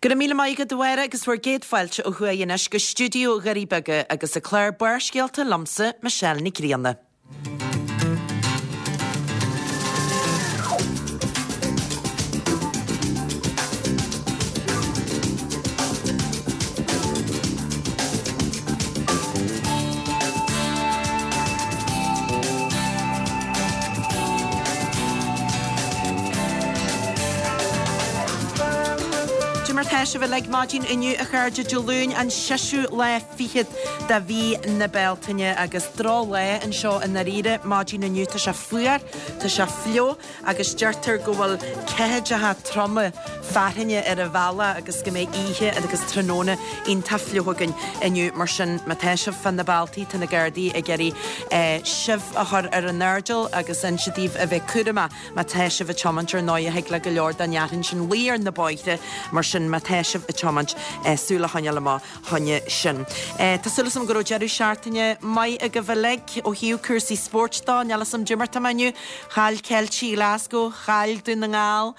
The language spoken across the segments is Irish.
Go raibh míle maith agat a Mháire agus bhur gcéad fáilte ó thuaidh anois go stiúideo Dhoirí Beaga agus an clár Barrscéalta liomsa, Michelle Nic Grianna. Cad é mar tá sibh uilig maidin inniu a chairde Dé Luain an seisiú lá fichead de mhí na Bealtaine agus droch lá anseo i ndáiríre maidin inniu. Tá sé fuar, tá sé fliuch agus deirtear go bhfuil ceathaideacha troma fearthainne ar an bhealach agus go mbeidh oíche agus tráthnóna iontach fliuch againn inniu. Mar sin, má tá sibh fá na bealtaí, tá na Gardaí ag iarraidh sibh a chur ar an airdeall agus inse daoibh a bheith cúramach má tá sibh ag tiomáint. Ar ndóigh, thig le go leor den fhearthainn sin luí ar na bóithre, mar sin má tá sibh ag tiomáint, súil a choinneáil amach. choinne sin. Tá súil agam go raibh deireadh seachtaine maith agaibh uilig ó thaobh cúrsaí spóirt dó. Níl 'fhios a'm caidé mar tá mé inniu. Chaill Ceiltigh Ghlasgow, chaill Dún na nGall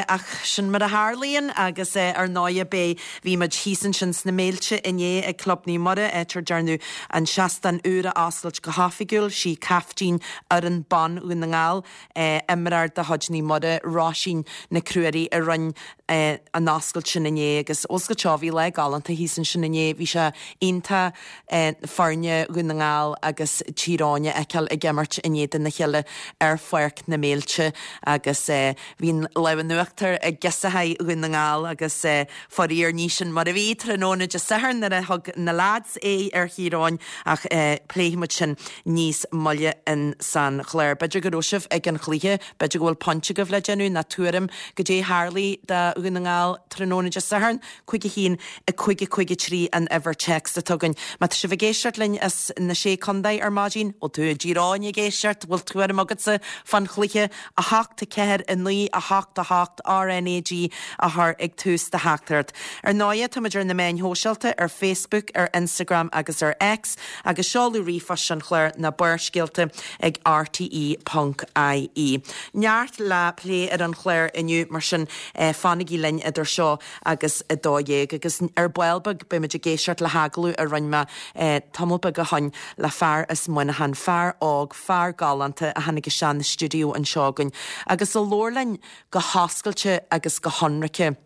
ach sin mar a tharlaíonn agus ar ndóighe beidh, bhí muid thíos ansin sna Méilte inné ag Club Naomh Muire áit ar dearnadh an seastán úr a oscailt go hoifigiúil. Sí caiftín fhoireann ban Dhún na nGall, imreoir de chuid Naomh Muire, Róisín Nic Ruairí a rinne an oscailt sin inné agus oscailt seo, bhí lá galánta thíos ansin inné, bhí sé iontach foirne Dhún na nGall agus Tír Eoghain a fheiceáil ag imirt in éadan a chéile ar Pháirc na Méilte agus bhí an lámh in uachtar ag girseachaí Dhún na nGall agus faraor ní sin mar a bhí tráthnóna Dé Sathairn nuair a thug na leaids aghaidh ar Thír Eoghain ach pléifidh muid sin níos moille in san chlár. B'fhéidir go raibh sibh ag an chluiche, b'fhéidir go bhfuil pointe agaibh le déanamh nó tuairim goidé tharlaigh do Dhún na nGall tráthnóna Dé Sathairn, 5 1 5 5 3 an uimhir téacs atá againn. Má tá sibh ag éisteacht linn as na Sé Contae ar maidin, bhfuil tú i dTír Eoghain ag éisteacht, bhfuil tuairim agatsa fán chluiche? 8 4 9 8 8 RNAG a chur ag tús do theachtaireacht. Ar ndóighe, táimid ar na meáin shóisialta, ar Facebook, ar Instagram agus ar X, agus seoladh ríomhphoist an chláir ná barrscéalta ag rte ponc ie. Neart le plé ar an chlár inniu, mar sin fanaigí linn idir seo agus 12:00. Agus ar ball beag beimid ag éisteacht le hagallamh a rinne mé tamall beag ó shoin le fear as Muineachán, fear óg, fear galánta a tháinig isteach na stiúideo anseo againn agus a labhair linn go hoscailte agus go hionraice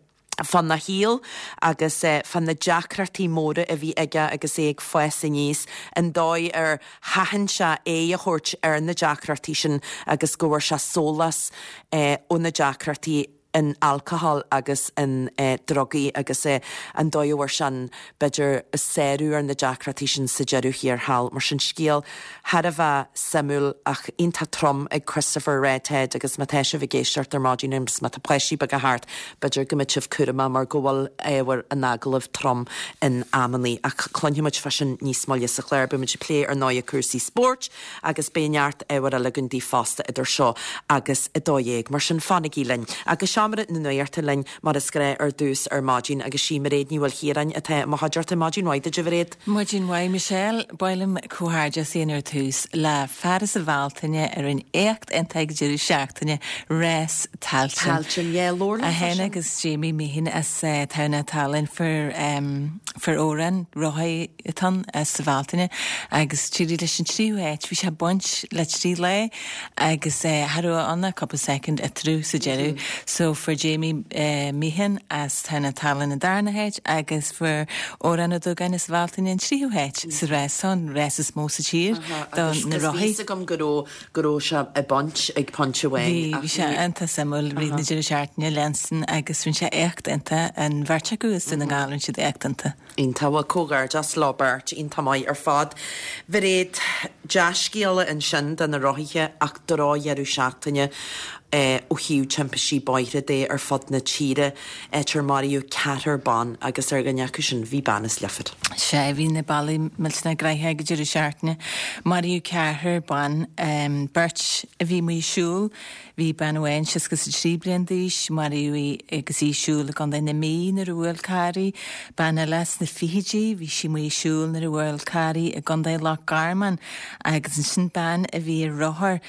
fána shaol agus fá na deacrachtaí móra a bhí aige agus é ag fás aníos, an dóigh ar sheachain sé aghaidh a thabhairt ar na deacrachtaí sin agus go bhfuair sé sólás ó na deacrachtaí. in alcohol agus in drugaí agus an dóigh a bhfuair sé an, b'fhéidir, sárú ar na deacrachtaí sin sa deireadh thiar thall. Mar sin, scéal thar a bheith suimiúil ach iontach trom ag Christopher Redhead agus má tá sibh ag éisteacht ar maidin agus má tá páistí beaga thart, b'fhéidir go mbeidh sibh cúramach mar go bhfuil ábhar an agallaimh trom in amannaí. Ach cluinfidh muid fá sin níos moille sa chlár. Beidh muid ag plé ar ndóighe cúrsaí spóirt Agus beidh neart ábhair eile againn daoibh fosta idir seo agus 12:00, mar sin fanaigí linn. Agus Seomra na Nuachta linn mar is gnáth ar dtús ar maidin agus sí Mairéad Ní Mhaoilchiaráin atá i mo chuideachta. Maidin mhaith duit a Mhairéad. Maidin mhaith Michelle. Ba mhaith liom comhghairdeas a dhéanamh ar tús le fear as an Bhealtaine a rinne éacht iontach ag deireadh seachtaine, Rás Tailteann. Tailteann, yeah, labhair liom fá sin. É féin agus Jamie Meehan as Tamhnach Talainn, fear, fear Odhrán, rothaí atá ann as an Bhealtaine agus d'éirigh leis an tríú háit. Bhí sé ag baint le trí lá agus cha raibh ann ach cúpla soicind eatarthu sa deireadh. So fuair Jamie Meehan as Tamhnach Talainn an darna háit agus fuair Odhrán Ó Dúgáin as an Bhealtaine an tríú háit sa rás seo, an rás is mó sa tír do na rothaí. Agus bhí fhios agam go raibh go raibh sé ag baint ag pointe amháin. Bhí, bhí sé iontach suimiúil rith na deireadh seachtaine leanstan agus rinne sé éacht iontach, an bheirt acu as Dún na nGall, rinne siad éacht iontach. Iontach, bhuel comhghairdeas leo beirt, iontach maith ar fad. Mhairéad, dea-scéala ansin do na rothaithe ach drochdheireadh seachtaine ó thaobh timpistí bóithre de ar fud na tíre, áit ar maraíodh ceathrar ban agus ar dhuine acu sin bhí bean as Leifear. Sea, bhí na bealaí millteanach gnoitheach ag an deireadh seachtaine. Maraíodh ceathrar ban, beirt a bhí amuigh ag siúl, Bhí bean amháin 63 bliain d'aois, maraíodh í agus í ag siúl i gContae na Mí nuair a bhuail carr í. Bean eile sna fichidí, bhí sí amuigh ag siúl nuair a bhuail carr í i gContae Loch Garman. Agus ansin bean a bhí ar rothar,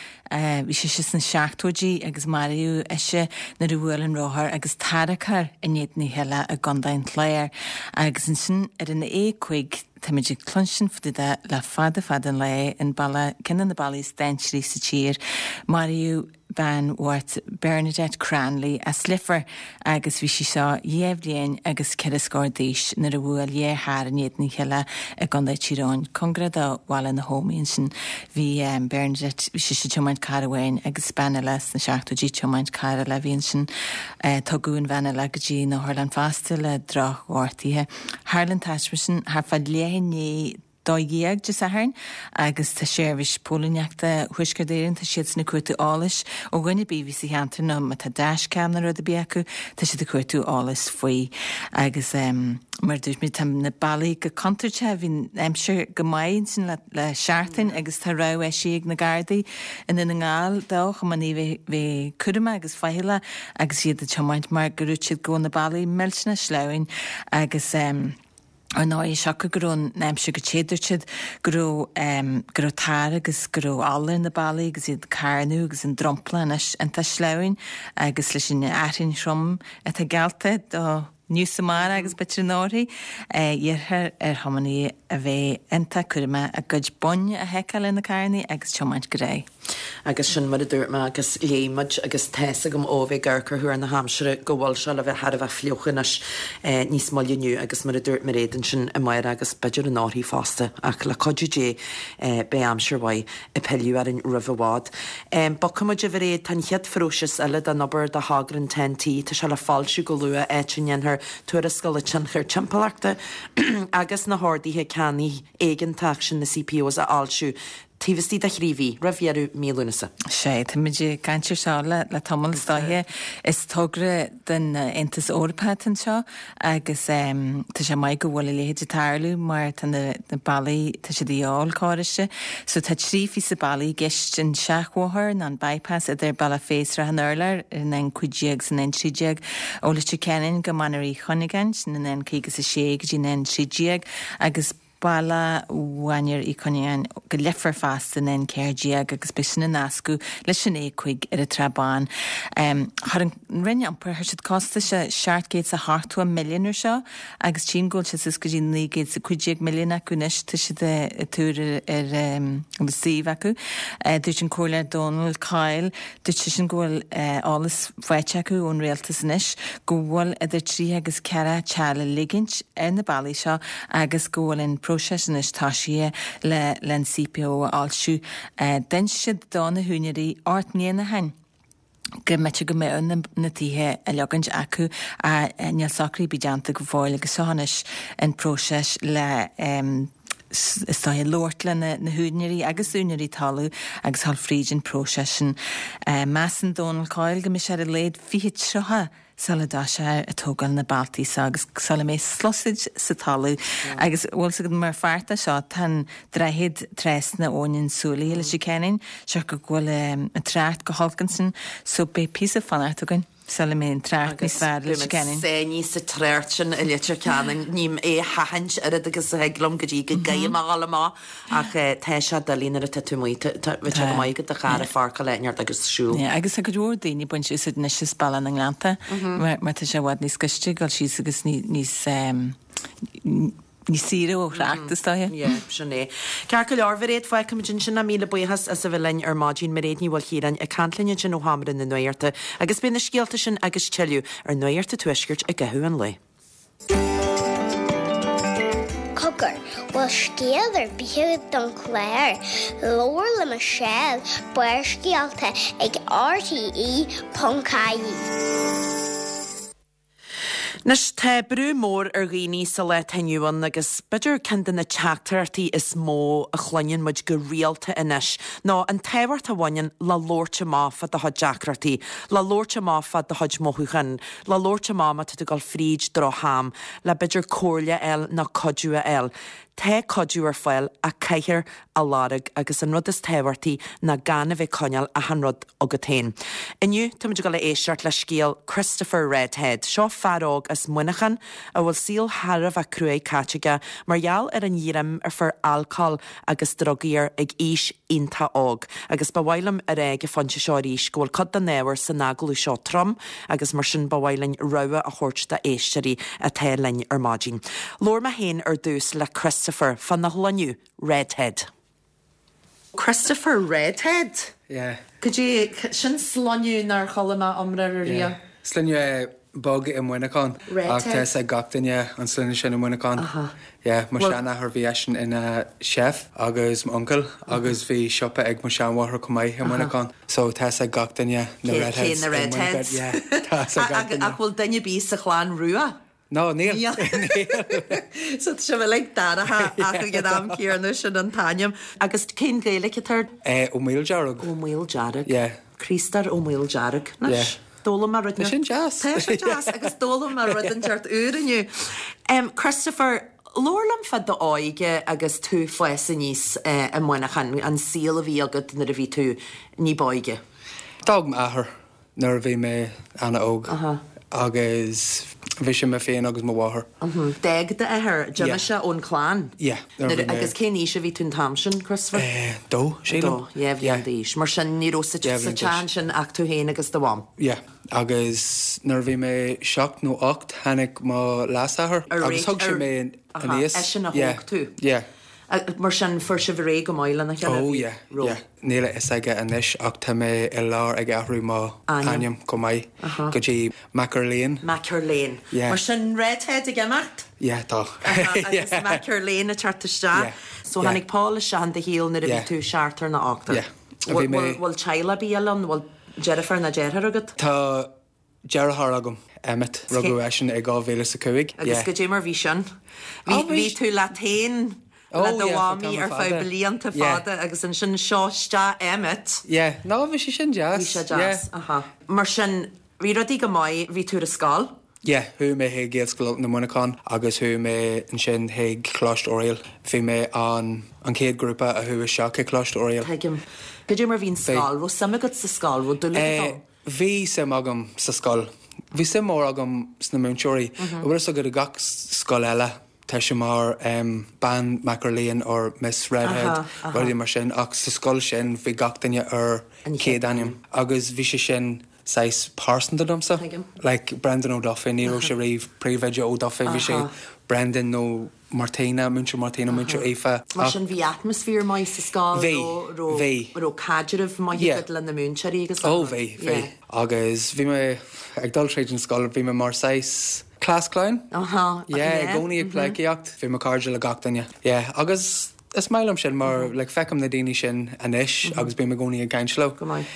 bhí sise sna seachtóidí. agus maraíodh ise nuair a bhuail an rothar agus tarracóir in éadan a chéile i gContae an Chláir. Agus ansin ar an A5, táimid ag cluinstin fá dtaobh de le fada fada an lá, an bealach, ceann de na bealaí is dainséaraí sa tír, maraíodh bean bhocht Bernadette Cranley as Leifear agus bhí sí seo dhá bhliain agus ceithre scór d'aois nuair a bhuail dhá charr in éadan a chéile i gContae Tír Eoghain, cóngarach do Bhaile na hÓmaí ansin. Bhí Bernadette, bhí sise ag tiomáint carr amháin agus bean eile sna seachtóidí ag tiomáint carr eile a bhí ansin. Tugadh an bhean eile go dtí an otharlann fosta le drochghortuithe. Tharla an taisme sin thart fá leath i ndiaidh 12 Dé Sathairn agus tá Seirbhís Póilíneachta Thuaisceart Éireann, tá siadsan ag cuartú eolais ó dhuine ar bith a bhí sa cheantar nó má tá dashcam nó rud ar bith acu, tá siad ag cuartú eolais faoi. Agus mar a dúirt mé, tá na bealaí go contúirteach, bhí an aimsir go maith ansin le le seachtain agus tá rabhadh eisithe ag na Gardaí i nDún na nGall do thiománaithe bheith bheith cúramach agus faichilleach agus iad ag tiomáint mar go dúirt siad go bhfuil na bealaí millteanach sleamhain agus Ar ndóigh, siocair go raibh an aimsir go te, dúirt siad go raibh, go raibh tar agus go raibh ola ar na bealaí agus iad ag carnadh agus an dromchla anois iontach sleamhain agus leis an fhearthainn throm atá geallta do inniu is amárach agus b'fhéidir anóirthigh, iarrthar ar thiománaithe a bheith iontach cúramach a gcuid boinn a sheiceáil ar na carrannaí agus tiomáint go réidh. Agus sin mar a dúirt mé agus léigh muid agus tá's agam ó bheith ag amharc ar thuar na haimsire go bhfuil sé le bheith thar a bheith fliuch anois níos moille inniu agus mar a dúirt Mairéad ansin amárach agus b'fhéidir anórthaidh fosta ach le cuidiú Dé beidh aimsir mhaith ag pilleadh orainn roimh i bhfad. Bogfaidh muid a Mhairéad, tá an chéad phróiseas eile den obair do thogra an TEN-T, tá sé le foilsiú go luath áit a ndéanfar tuarascáil tionchair timpeallachta agus na horduithe ceannaigh éigeantach sin, na CPOs, a fhoilsiú. Taobh istigh de thrí mhí, roimh dheireadh mí Lúnasa. Sea, táimid ag caint ar seo le tamall, is dóiche. Is togra den Aontas Eorpach atá anseo agus tá sé maith go bhfuil a leithéid ag tarlú mar tá na bealaí, tá siad de dhíobháil córais. So tá trí phíosa bealaigh i gceist, an seachbhóthar nó an bypass idir Bealach Féich Srath an Urláir ar an N15 is an N13 ó Leitir Ceanainn go Mainéar Uí Chuinneagáin, sin an N56 go dtí an N13 agus Bealach Mhainéar Uí Chuinneagáin go Leifear fosta an N14 agus beidh sin ag nascadh leis an A5 ar an tSrath Bán. Chuir an Roinn Iompair, chuir siad costas de 780 milliún ar seo agus tchím go bhfuil sé suas go dtí 915 milliún acu anois, tá siad ag tuar ar an suíomh acu. Dúirt an Comhairleoir Dónal Coyle, Dúirt seisean go bhfuil eolas faighte acu ón rialtas anois go bhfuil idir 30 agus 40 teach le ligint ar na bealaí seo agus go bhfuil an próiseas anois tosaithe le le an CPO a fhoilsiú. D'inis siad do na húinéirí 8 mbliana ó shin go mb'fhéidir go mbeadh na tithe á leogaint acu ach níl socruithe ar bith déanta go fóill agus seo anois an próiseas le is dóiche, labhairt le na húinéirí agus úinéirí talaimh agus dhul fríd an próiseas sin. Measann Dónal Coyle go mbeidh sé ar a laghad 2030 sula dtoiseofar ag tógáil na bealtaí seo agus sula mbeidh sluasaid sa talamh. Agus bhfuil 's agat mar pháirt de seo tá an droichead trasna Abhainn an tSúilí i Leitir Ceanainn, siocair go bhfuil an trácht go holc ansin so beidh píosa fanacht againn. Sula mbeidh an trácht níos fearr i Leitir Ceanainn. Agus beidh muid sáinnithe sa trácht sin i Leitir Ceanainn. Ním é a sheachaint oiread agus a thig liom go dtí go gcaithfidh mé a dhul amach ach tá sé doiligh nuair atá tú amuigh. Tá sé go maith agat do charr a pháirceáil áit inteacht agus siúl. Agus tá cuid mhór daoine ag baint úsáid anois as Bealach na nGleannta mar tá sé i bhfad níos gaiste ag dul síos agus níos Níos saoire ó thrácht, is dóiche. Yeah, sin é. Ceart go leor, Mhairéad, fágfaimid ansin é. Míle buíochas as a bheith linn ar maidin. Mairéad Ní Mhaoilchiaráin ag caint linn ansin ó Sheomra na Nuachta agus beidh na scéalta sin agus tuilleadh ar Nuacht an Tuaiscirt i gcaitheamh an lae. Cogar, bhfuil scéal ar bith agat don chlár? Labhair le Michelle, Barrscéalta ag RTE.ie. Anois, tá brú mór ar dhaoine sa lá atá inniu ann agus b'fhéidir ceann de na teachtaireachtaí is mó a chluineann muid go rialta anois ná an tábhacht a bhaineann le labhairt amach fá do chuid deacrachtaí, le labhairt amach fá do chuid mothúchán, le labhairt amach má tá tú ag dul fríd drocham, le b'fhéidir comhairle a fháil nó cuidiú a fháil. Tá cuidiú ar fáil ach caithfear a lorg agus an rud is tábhachtaí ná gan a bheith ag coinneáil achan rud agat féin. Inniu táimid ag dul a éisteacht le scéal Christopher Redhead. Seo fear óg as Muineachán a bhfuil saol thar a bheith cruaidh caite aige mar gheall ar an ghreim a fuair alcól agus drugaí air ag aois iontach óg. Agus ba mhaith liom a rá ag an phointe seo arís go bhfuil cuid den ábhar san agallamh seo trom agus mar sin ba mhaith linn rabhadh a thabhairt do éisteoirí atá linn ar maidin. Labhair mé féin ar dtús le Christopher fána shloinneadh, Redhead. Christopher Redhead? Yeah. Cad é, sin sloinneadh nár chuala mé iomrá air Yeah. riamh. Sloinneadh beag i Muineachán. Redhead. Ach tá fhios ag gach duine an sloinne sin i Muineachán. Aha. Yeah, mo Bhfuil. sheanathair bhí eisean ina chef agus m'uncail agus bhí siopa ag mo seanmháthair chomh maith i Muineachán. So tá fhios ag gach duine na Cé, cé Redheads na i Muineachán. Redheads? Yeah, tá fhios ag gach duine. Ach bhfuil duine ar bith sa chlann rua? No, níl. Níl. So tá sibh uilig dorcha ach ag an am céanna sin an t-ainm. Agus cén Ghaeilge atá air? Eh, Ó Maoildearg. Ó Maoildearg. Yeah. Críostóir Ó Maoildearg. Anois, Yeah. d'fhoghlaim mé rud Tá sin deas. Tá sé deas agus d'fhoghlaim mé rud inteacht úr inniu. Em, Christopher, labhair liom fá d'óige agus tú ag fás aníos eh, i Muineachán, an saol a bhí agat nuair a bhí tú ní b'óige. D'fhág m'athair nuair a bhí mé ana-óg agus bhí sé mé féin agus mo mháthair. D'fhág d'athair, d'imigh sé ón chlann? Yeah. Nuair, agus cén aois a bhí tú an t-am sin, Christopher? Dó, sílim. Dó, yeah, bhliain d'aois. Mar sin, ní raibh sa teach ansin ach tú féin agus do mham. Yeah, agus nuair a bhí mé seacht nó ocht tháinig mo leasathair agus thug sé mé aníos. Eisean a thóg tú? Yeah. Mar sin, fuair sibh ar aghaidh go maith lena chéile? Oh yeah, yeah. Níl a fhios aige anois ach tá mé i lár ag athrú mo ainm chomh maith go dtí McErlean. McErlean. Yeah. Mar sin, Redhead ag imeacht? Yeah, tá. Agus McErlean ag teacht isteach. Yeah. So tháinig Paul isteach in do shaol nuair a bhí tú seachtar nó ochtar. Yeah. Bhí mé. Bhfuil teaghlach ar bith eile ann? Bhfuil deirfiúr nó deartháir agat? Tá Deartháir agam, Emmet. Rugadh eisean i 2005. Agus goidé mar bhí sin? Bhí, bhí tú leat féin le do mhamaí ar feadh blianta fada agus ansin seo isteach Emmet. Yeah, no, bhí sé sin deas. Bhí sé deas, aha. Mar sin, bhí rudaí go maith, bhí tú ar an scoil? Yeah, chuaigh mé chuig Gaelscoil Ultain i Muineachán agus chuaigh mé ansin chuig Coláiste Oiriall. Bhí mé an an chéad ghrúpa a chuaigh isteach chuig Coláiste Oiriall. Tuigim. Goidé mar bhí an scoil? Raibh suim agat sa scoil? Raibh dúil agat ann? Bhí suim agam sa scoil. Bhí suim mór agam sna múinteoirí. An bhfuil fhios agat i gach scoil eile tá sé mar Bean McErlean or Miss Redhead, rudaí mar sin ach sa scoil sin bhí gach duine ar chéad ainm agus bhí sé sin saghas pearsanta domsa. Like Brendan Ó Dufaigh, ní raibh sé riamh Príomhoide Ó Dufaigh, bhí sé Brendan nó Martina, Múinteoir Martina, Múinteoir Aoife. Mar sin bhí atmaisféar maith sa scoil, Bhí, bhí. raibh caidreamh maith agat le na múinteoirí agus Ó bhí, bhí. Agus bhí mé ag dul tríd an scoil, bhí mé mar saghas class clown. Aha, Yeah, i gcónaí ag pleidhcíocht. Bhí mo cairde le gach duine. Yeah, agus is maith liom sin mar like feicim na daoine sin anois agus bím i gcónaí ag caint leo. Go maith.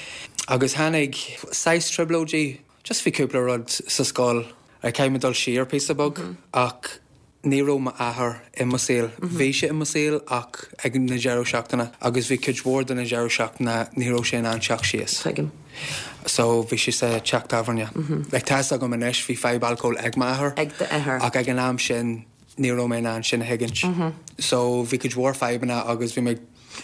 Agus tháinig saghas trioblóidí, just bhí cúpla rud sa scoil, like caithfidh mé dul siar píosa beag ach Ní raibh m'athair i mo saol. Bhí sé i mo saol ach ag na deireadh seachtaine agus bhí cuid mhór de na deireadh seachtaine ní raibh sé in ann teacht síos. Tuigim. So bhí sé sa teach tábhairne. Like tá fhios agam anois bhí fadhb alcóil ag m'athair. Ag d'athair. Ach ag an am sin ní raibh mé in ann sin a thuigint. So bhí cuid mhór fadhbanna agus bhí mé ag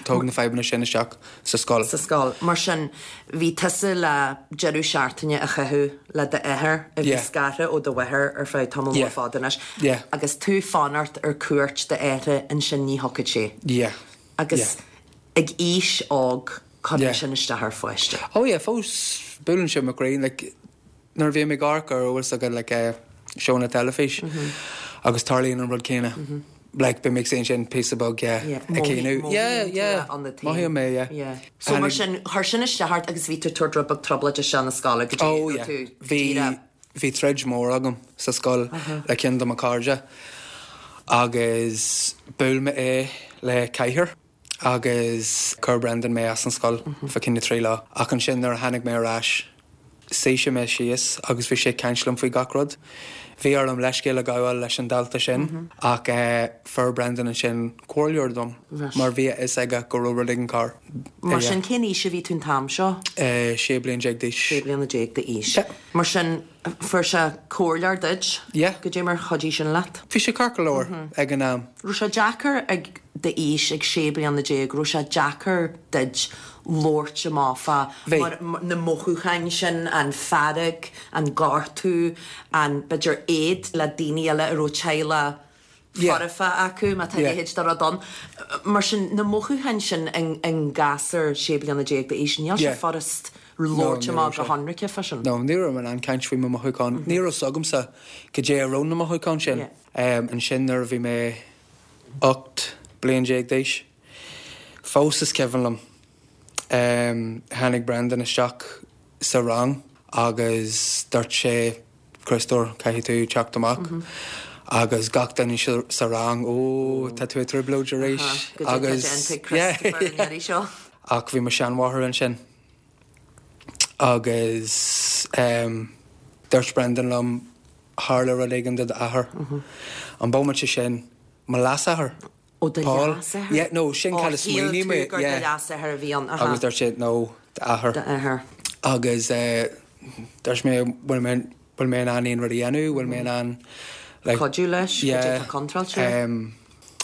tóg na fadhbanna sin isteach sa scoil. sa scoil. Mar sin, bhí tusa le deireadh seachtaine a chaitheamh le d'athair a bhí scartha ó do mháthair ar feadh tamall mór fada anois. Agus tú fanacht ar cuairt d'athara ansin ní thiocfadh sé. Agus ag aois óg cuireann sin isteach ar pháiste. Oh yeah, fós buaileann sé mo chroí. Like, Nuair a bhím ag amharc ar bhfuil fhios agat like seónna teilifís agus tarlaíonn an rud céanna like bím ag ansin píosa beag yeah ag caoineadh yeah yeah mothaím é yeah. So mar sin chuir sin isteach ort agus bhí tú ag tabhairt rud beag trioblóide isteach na scoile go dtí Oh yeah bhí bhí troid mór agam sa scoil le ceann de mo cairde agus bhuail mé é le cathaoir. Agus chuir Brendan mé as an scoil fá choinne 3 lá. Ach ansin nuair a tháinig mé ar ais. Suigh sé mé síos agus bhí sé ag caint liom faoi gach rud. Bhí orm leithscéal a ghabháil leis an dalta sin ach fuair Brendan ansin comhairleoir dom mar bhí a fhios aige go raibh rud éigin cearr. Mar sin, cén aois a bhí tú an t-am seo? 16 bliain d'aois. 16 bliana d'aois. Mar sin, fuair sé comhairleoir duit? Yeah. Goidé mar chuidigh sin leat? Bhí sé ceart go leor ag an am. Raibh sé deacair ag d'aois, ag 16 bliana, raibh sé deacair duit labhairt amach fá mar na mothúcháin sin, an fearg, an gortú, an, b'fhéidir, éad le daoine eile a raibh teaghlach foirfe acu, má tá a leithéid de rud ann. Mar sin, na mothúcháin sin i ngasúr 16 bliana d'aois, níl sé furast labhairt amach go hionraice fá sin. No, ní raibh mé in ann caint faoi mo mhothúcháin. Ní raibh 's agamsa goidé a raibh na mothúcháin sin. Ansin nuair a bhí mé 18 bliain d'aois, fós is cuimhin liom, tháinig Brendan isteach sa rang agus dúirt sé, Criostóir, caithfidh tú teacht amach. Agus gach duine sa rang, Ó, tá tú i dtrioblóid arís. Agus, yeah. Ach bhí mo sheanmháthair ansin agus dúirt Brendan liom, tharla rud éigin do d'athair. An bomaite sin, mo leasathair. Ó do Paul. leasathair? Yeah, no, sin Ó, cad a shíl smaoinigh tú mé, gur do yeah. leasathair a bhí ann, aha. Agus dúirt sé, no, d'athair. D'athair. Agus eh, dúirt mé, bhfuil mé, bhfuil mé in ann aon rud a dhéanamh, bhfuil mé in ann, like. Cuidiú leis, Yeah. goidé atá contráilte. Em,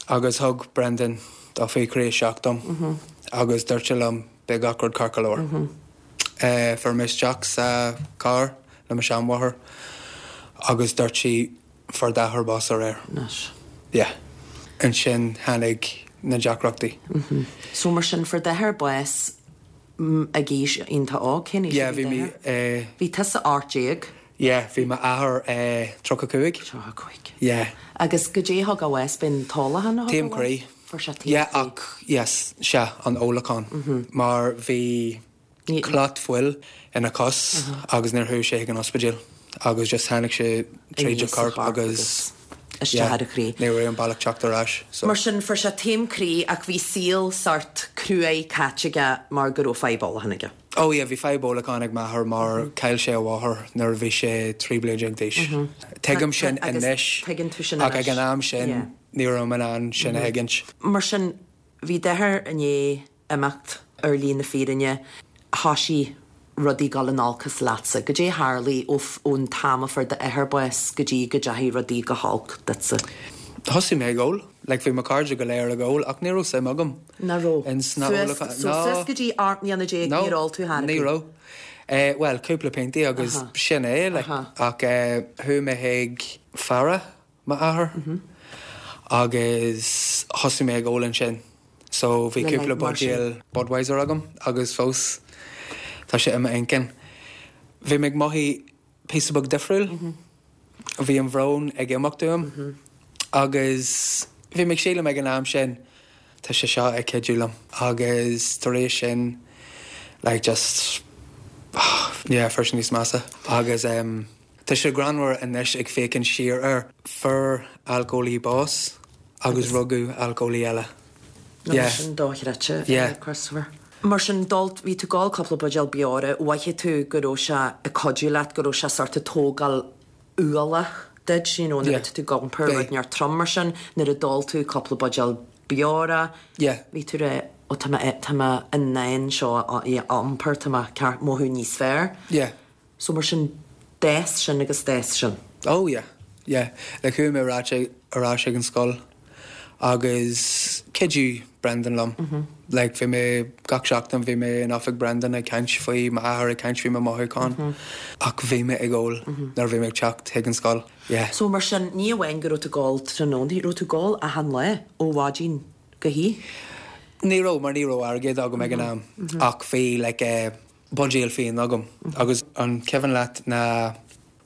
agus thug Brendan toffee croí isteach dom agus dúirt sé liom, beidh gach rud ceart go leor. Eh, fuair mé isteach sa carr le mo sheanmháthair agus dúirt sí, Fuair d'athair bás aréir. Anois. Yeah. Ansin tháinig na deacrachtaí. So mar sin, fuair d'athair bás ag aois iontach óg. Cén aois Yeah, a bhí bhí mé d'athair? eh. Bhí tusa 18. Yeah, bhí m'athair eh 35. 35. Yeah. Agus goidé a thug a bhás, b'in t-ólachán a thug a Taom bhás? croí. Fuair sé taom Yeah, croí. ach yes, sea, an ólachán. Mar bhí. clot fuil ina chos agus níor chuaigh sé chuig an ospidéal agus just tháinig sé tríd a chorp agus isteach ar a chroí. ní raibh aon bealach teacht ar ais so. Mar sin fuair sé taom croí ach bhí saol sórt cruaidh caite aige mar go raibh fadhb ólacháin aige. Oh yeah bhí fadhb ólacháin ag m'athair mar chaill sé a mháthair nuair a bhí sé 13 bliain d'aois. Tuigim sin anois ach ag an am sin ní raibh mé in ann sin a thuigint. Mar sin bhí d'athair i ndiaidh imeacht ar shlí na fírinne, thoisigh rudaí dul in olcas leatsa. Goidé a tharlaigh ó ón t-am a fuair d'athair bás go dtí go dteachaigh rudaí go holc duitsa? Thosaigh mé ag ól. Like bhí mo chairde go léir ag ól ach ní raibh suim agam Nach raibh? ins na Suas, ólacháin. so suas go dtí 18 mbliana No, níor ól tú thar ní raibh. Eh, bhuel, cúpla piontaí agus sin é, like, ach eh, chuaigh mé chuig faire m'athair agus thosaigh mé ag ól ansin so bhí cúpla buidéal Budweiser agam agus fós tá sé i m'inchinn. Bhí mé ag mothú píosa beag difriúil, bhí an bhrón ag imeacht uaim agus bhí mé ag sílim ag an am sin tá sé seo ag cuidiú liom agus tar éis sin like just yeah fuair sé níos measa agus em. Tá sé greannmhar anois ag féachaint siar air. Fuair alcólaí bás agus rugadh alcólaí eile. Yeah. Sin dochreidte, Yeah. Christopher. Mar sin, d'ól, bhí tú ag ól cúpla buidéal beora, mhothaigh tú go raibh sé ag cuidiú leat, go raibh sé sort ag tógáil ualach duit, you know, nuair Yeah. atá tú ag iompar Bhí. rud inteacht trom mar sin, nuair a d'ól tú cúpla buidéal beora, Yeah. bhí tú rá, ó tá mé, tá mé in ann seo a iompar, tá mé ceart, mothú níos fearr. Yeah. So mar sin, d'fhás sin agus d'fhás sin. Oh yeah, yeah. Like chuaigh mé ar ais ar ais ag an scoil agus chuidigh Brendan liom. Like bhí mé, gach seachtain bhí mé in oifig Brendan ag caint faoi m'athair, ag caint faoi mo mhothúcháin ach bhí mé ag ól nuair a bhí mé ag teacht chuig an scoil. Yeah. So mar sin, ní amháin go raibh tú ag ól tráthnóna, raibh tú ag ól achan lá ó mhaidin go hoíche? Ní raibh, mar ní raibh airgead agam ag an am ach bhí like eh, buidéal fíon agam agus an cuimhin leat na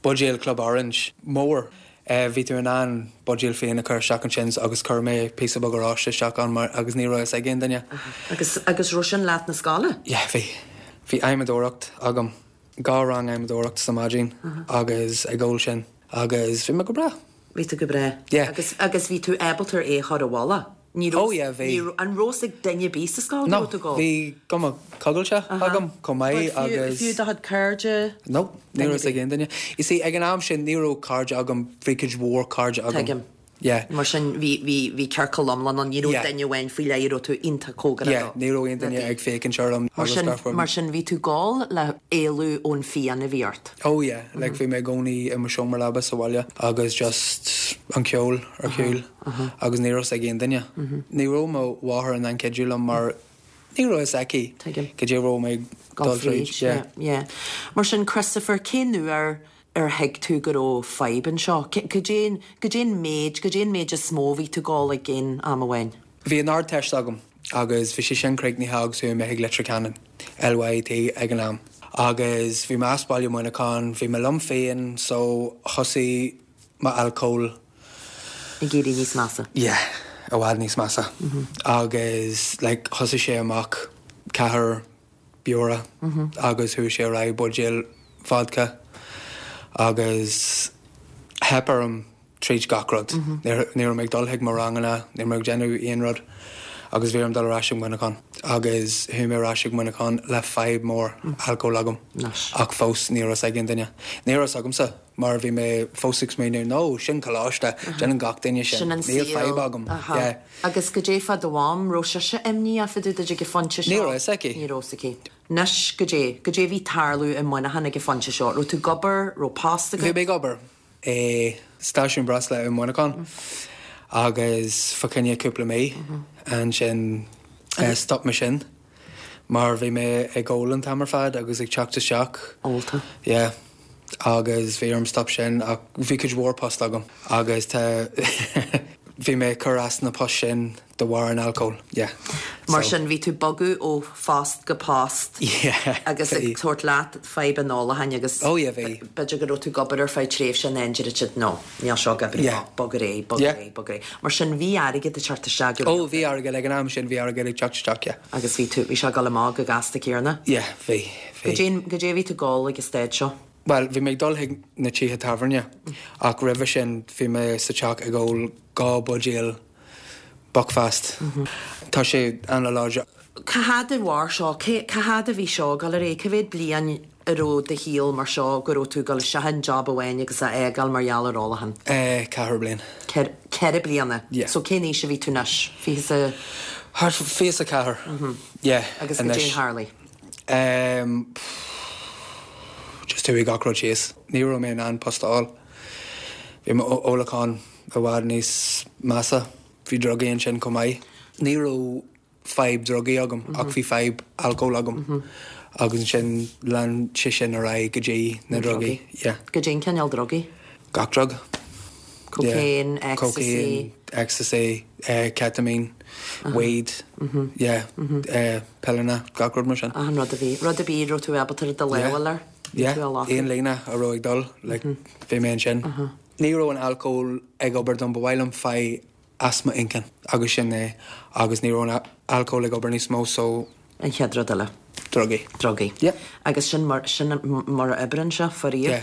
buidéil Club Orange mór? Bhí tú in ann buidéal fíon a chur isteach ansin agus chuir mé píosa beag oráiste isteach ann mar agus ní raibh fhios ag aon duine. Agus agus raibh sin leat na scoile? Yeah bhí. Bhí adhmadóireacht agam, dhá rang adhmadóireacht sa maidin agus ag ól sin agus bhí mé go breá. Bhí tú go breá. Yeah. Agus agus bhí tú ábalta é a chur i bhfolach? Ní raibh. Oh yeah, bhí. Ní raibh, an raibh fhios ag duine ar bith sa scoil go No, raibh tú ag ól? bhí cuma coigilte agam chomh maith But fiú, agus. fiú do chuid cairde? No, ní Duine raibh fhios ag ar bith. aon duine. You see, ag an am sin ní raibh cairde agam, bhí cuid mhór cairde agam. Tuigim. Yeah. Mar sin bhí, bhí, bhí ciorcal iomlán ann, ní raibh Yeah. duine amháin faoi leith a raibh tú iontach cóngarach Yeah, dó. ní raibh aon duine ag féachaint orm Mar agus sin, gach rud. mar sin bhí tú ag ól le éalú ón phian a bhí ort. Oh yeah, like bhí mé i gcónaí i mo seomra leaba sa bhaile agus just an ceol ar chúl agus ní raibh fhios ag aon duine. Ní raibh mo mháthair in ann cuidiú liom mar ní raibh fhios aici cad é a raibh mé ag dul tríd. Yeah, yeah. Mar sin Christopher, cén uair ar thuig tú go raibh fadhb anseo? Cad é, cad é an méid, cad é an méid is mó a bhí tú ag ól ag aon am amháin? Bhí an Ardteist agam agus bhí sé sin críochnaithe agus chuaigh mé chuig Leitir Ceanainn, LYIT ag an am. Agus bhí mé as baile Mhuineacháin, bhí mé liom féin so thosaigh m'alcól. Ag éirí níos measa. Yeah, i bhfad níos measa. Agus like thosaigh sé amach ceathair beora agus chuaigh sé ar aghaidh buidéal vodka agus theip orm tríd gach rud. Ní raibh mé ag dul chuig mo ranganna, ní raibh mé ag déanamh aon rud agus bhí orm dul ar ais ag Muineachán agus chuaigh mé ar ais ag Muineachán le fadhb mór alcóil agam ach fós ní raibh fhios ag aon duine. Ní raibh fhios agamsa mar bhí mé fós ag smaoineamh no, sin coláiste, déanann gach duine sin, Sin an níl saol. fadhb agam. Yeah. Agus goidé fá do mham, raibh sise imníoch fá dtaobh duit ag an phointe seo? Ní raibh fhios aici. Ní raibh fhios aici. Anois, goidé, goidé a bhí ag tarlú i Muineachán ag an phointe seo? Raibh tú ag obair, raibh post agat? Bhí mé ag obair. i stáisiún breosla i Muineachán agus fá choinne cúpla mí ansin stop mé sin mar bhí mé ag ól an t-am ar fad agus ag teacht isteach. Ólta. Yeah agus bhí orm stop sin ach bhí cuid mhór post agam agus tá bhí mé ag cur as na poist sin de bharr an alcóil, yeah. Mar sin, bhí tú ag bogadh ó phost go post yeah, agus ag tabhairt leat fadhb an ólacháin agus oh yeah, bhí. b'fhéidir go raibh tú ag obair ar feadh tréimhse and then deir siad no, níl seo ag oibriú, yeah. bog ar aghaidh, bog ar aghaidh, bog ar aghaidh. Mar sin, bhí airgead ag teacht isteach go Oh, bhí airgead, ag an am sin bhí airgead ag teacht isteach, yeah. Agus bhí tú, bhí sé ag dul amach go gasta céanna? Yeah, bhí, bhí. Goidé, goidé a bhí tú ag ól ag an staid seo? Bhuel, bhí mé ag dul chuig na tithe tábhairne ach roimhe sin bhí mé sa teach ag ól 2 buidéal Buckfast. Tá sé an-láidir. Cá fhad a mhair seo? Cá fhad a bhí seo ag dul ar aghaidh? Cá mhéad bliain a raibh do shaol mar seo go raibh tú ag dul isteach i job amháin agus a fhágáil mar gheall ar ólachán? Ceithre bliain. Ceithre bliana? Yeah. So cén aois a bhí tú anois? Fiche is a. Thart fá 24. Yeah. Agus goidé a tharlaigh? Just chuaigh gach rud síos. Ní raibh mé in ann post a fháil. Bhí m'ólachán i bhfad níos measa. Bhí drugaí ansin chomh maith. Ní raibh fadhb drugaí agam ach bhí fadhb alcóil agam agus ansin lean sé sin ar aghaidh go dtí na drugaí. Yeah. Goidé an cineál drugaí? Gach drug. Cocaine, Yeah. ecstasy. Cocaine, ecstasy, ketamine, weed, yeah, pilleanna, gach rud mar sin. Achan rud a bhí. Rud ar bith a raibh tú ábalta do lámh a fháil air. Bhí Yeah, tú á ghlacadh. aon líne a raibh ag dul, like, bhí mé ansin. Ní raibh an alcól ag obair dom, ba mhaith liom fadhb as m'inchinn agus sin é agus ní raibh an alcól ag obair níos mó so. An chéad rud eile. Drugaí. Drugaí. Yeah. Agus sin mar, sin mar a oibríonn sé, faraor. Yeah.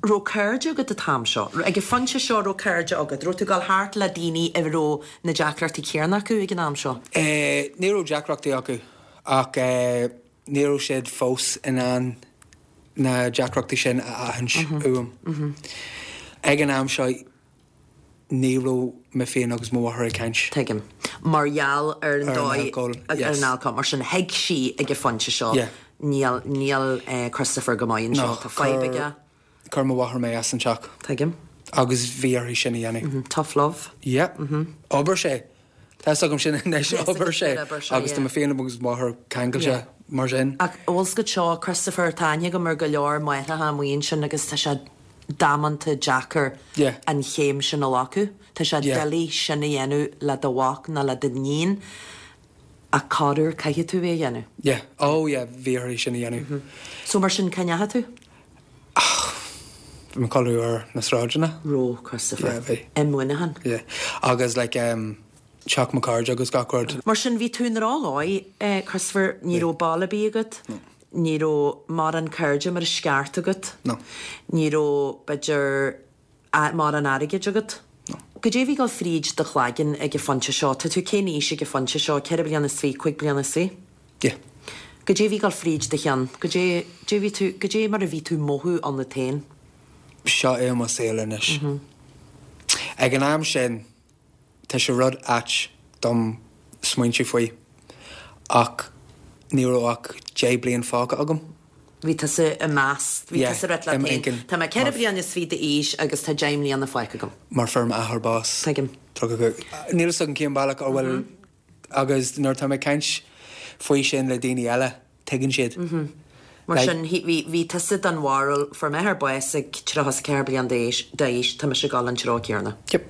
Raibh cairde agat an t-am seo? Ag an phointe seo raibh cairde agat? Raibh tú ag dul thart le daoine a raibh na deacrachtaí céanna acu ag an am seo? Eh, ní raibh deacrachtaí acu ach eh, ní raibh siad fós in ann na deacrachtaí sin a aithint uaim. Ag an am seo ní raibh mé féin agus mo mháthair ag caint. Tuigim. Mar gheall ar an Ar an dóigh, alcól, ar yes. an alcól. Mar sin thuig sí ag an phointe seo, Yeah. níl, níl Christopher go maith anseo, No, tá fadhb chuir, aige. chuir mo mháthair mé as an teach. Tuigim. Agus bhí uirthi sin a dhéanamh. Tough love. Yeah. Obair sé. Tá fhios agam sin anois, obair sé. Agus tá mé féin agus mo mháthair ceangailte mar sin. Ach bhfuil fhios agat seo, Christopher, tá aithne agam ar go leor máithreacha amuigh ansin agus tá sé damanta deacair an chéim sin a ghlacadh. Tá sé doiligh sin a dhéanamh le do mhac nó le d'iníon ach corruair caithfidh tú é a dhéanamh. Yeah. Oh yeah, bhí uirthi sin a dhéanamh. So mar sin, cá ndeachaigh tú? Bhí mé ag codladh ar na sráideanna. Raibh, Christopher. Yeah, bhí. I Muineachán. Yeah. Agus like em teach mo chairde agus gach rud. Mar sin, bhí tú i ndrochdhóigh, eh Christopher, ní raibh baile ar bith agat. No. Ní raibh mórán cairde mar is ceart agat. No. Ní raibh, b'fhéidir, mórán airgid agat. No. Goidé a bhí ag dul fríd do chloigeann ag an phointe seo? Tá tú cén aois ag an phointe seo? Ceithre bliana is fiche, cúig bliana is fiche? Yeah. Goidé a bhí ag dul fríd do cheann? Goidé, goidé bhí tú, goidé mar a bhí tú mothú ionat féin? Seo é mo saol anois. Ag an am sin, tá sé rud ait dom smaointiú faoi, ach ní raibh ach 10 bliain fágtha agam. Bhí tusa ag meas, bhí tusa ag rá leat féin, tá mé 4 bliana is fiche d'aois agus tá 10 mbliana fágtha agam. Mar fuair m'athair bás. Tuigim. 35. Níl fhios agam cén bealach a bhfuil agus nuair atá mé ag caint faoi sin le daoine eile, tuigeann siad. Mar sin, bhí tusa den bharúil, fuair m'athair bás ag 34 bliain d'aois, tá mise ag dul an treo céanna. Yep.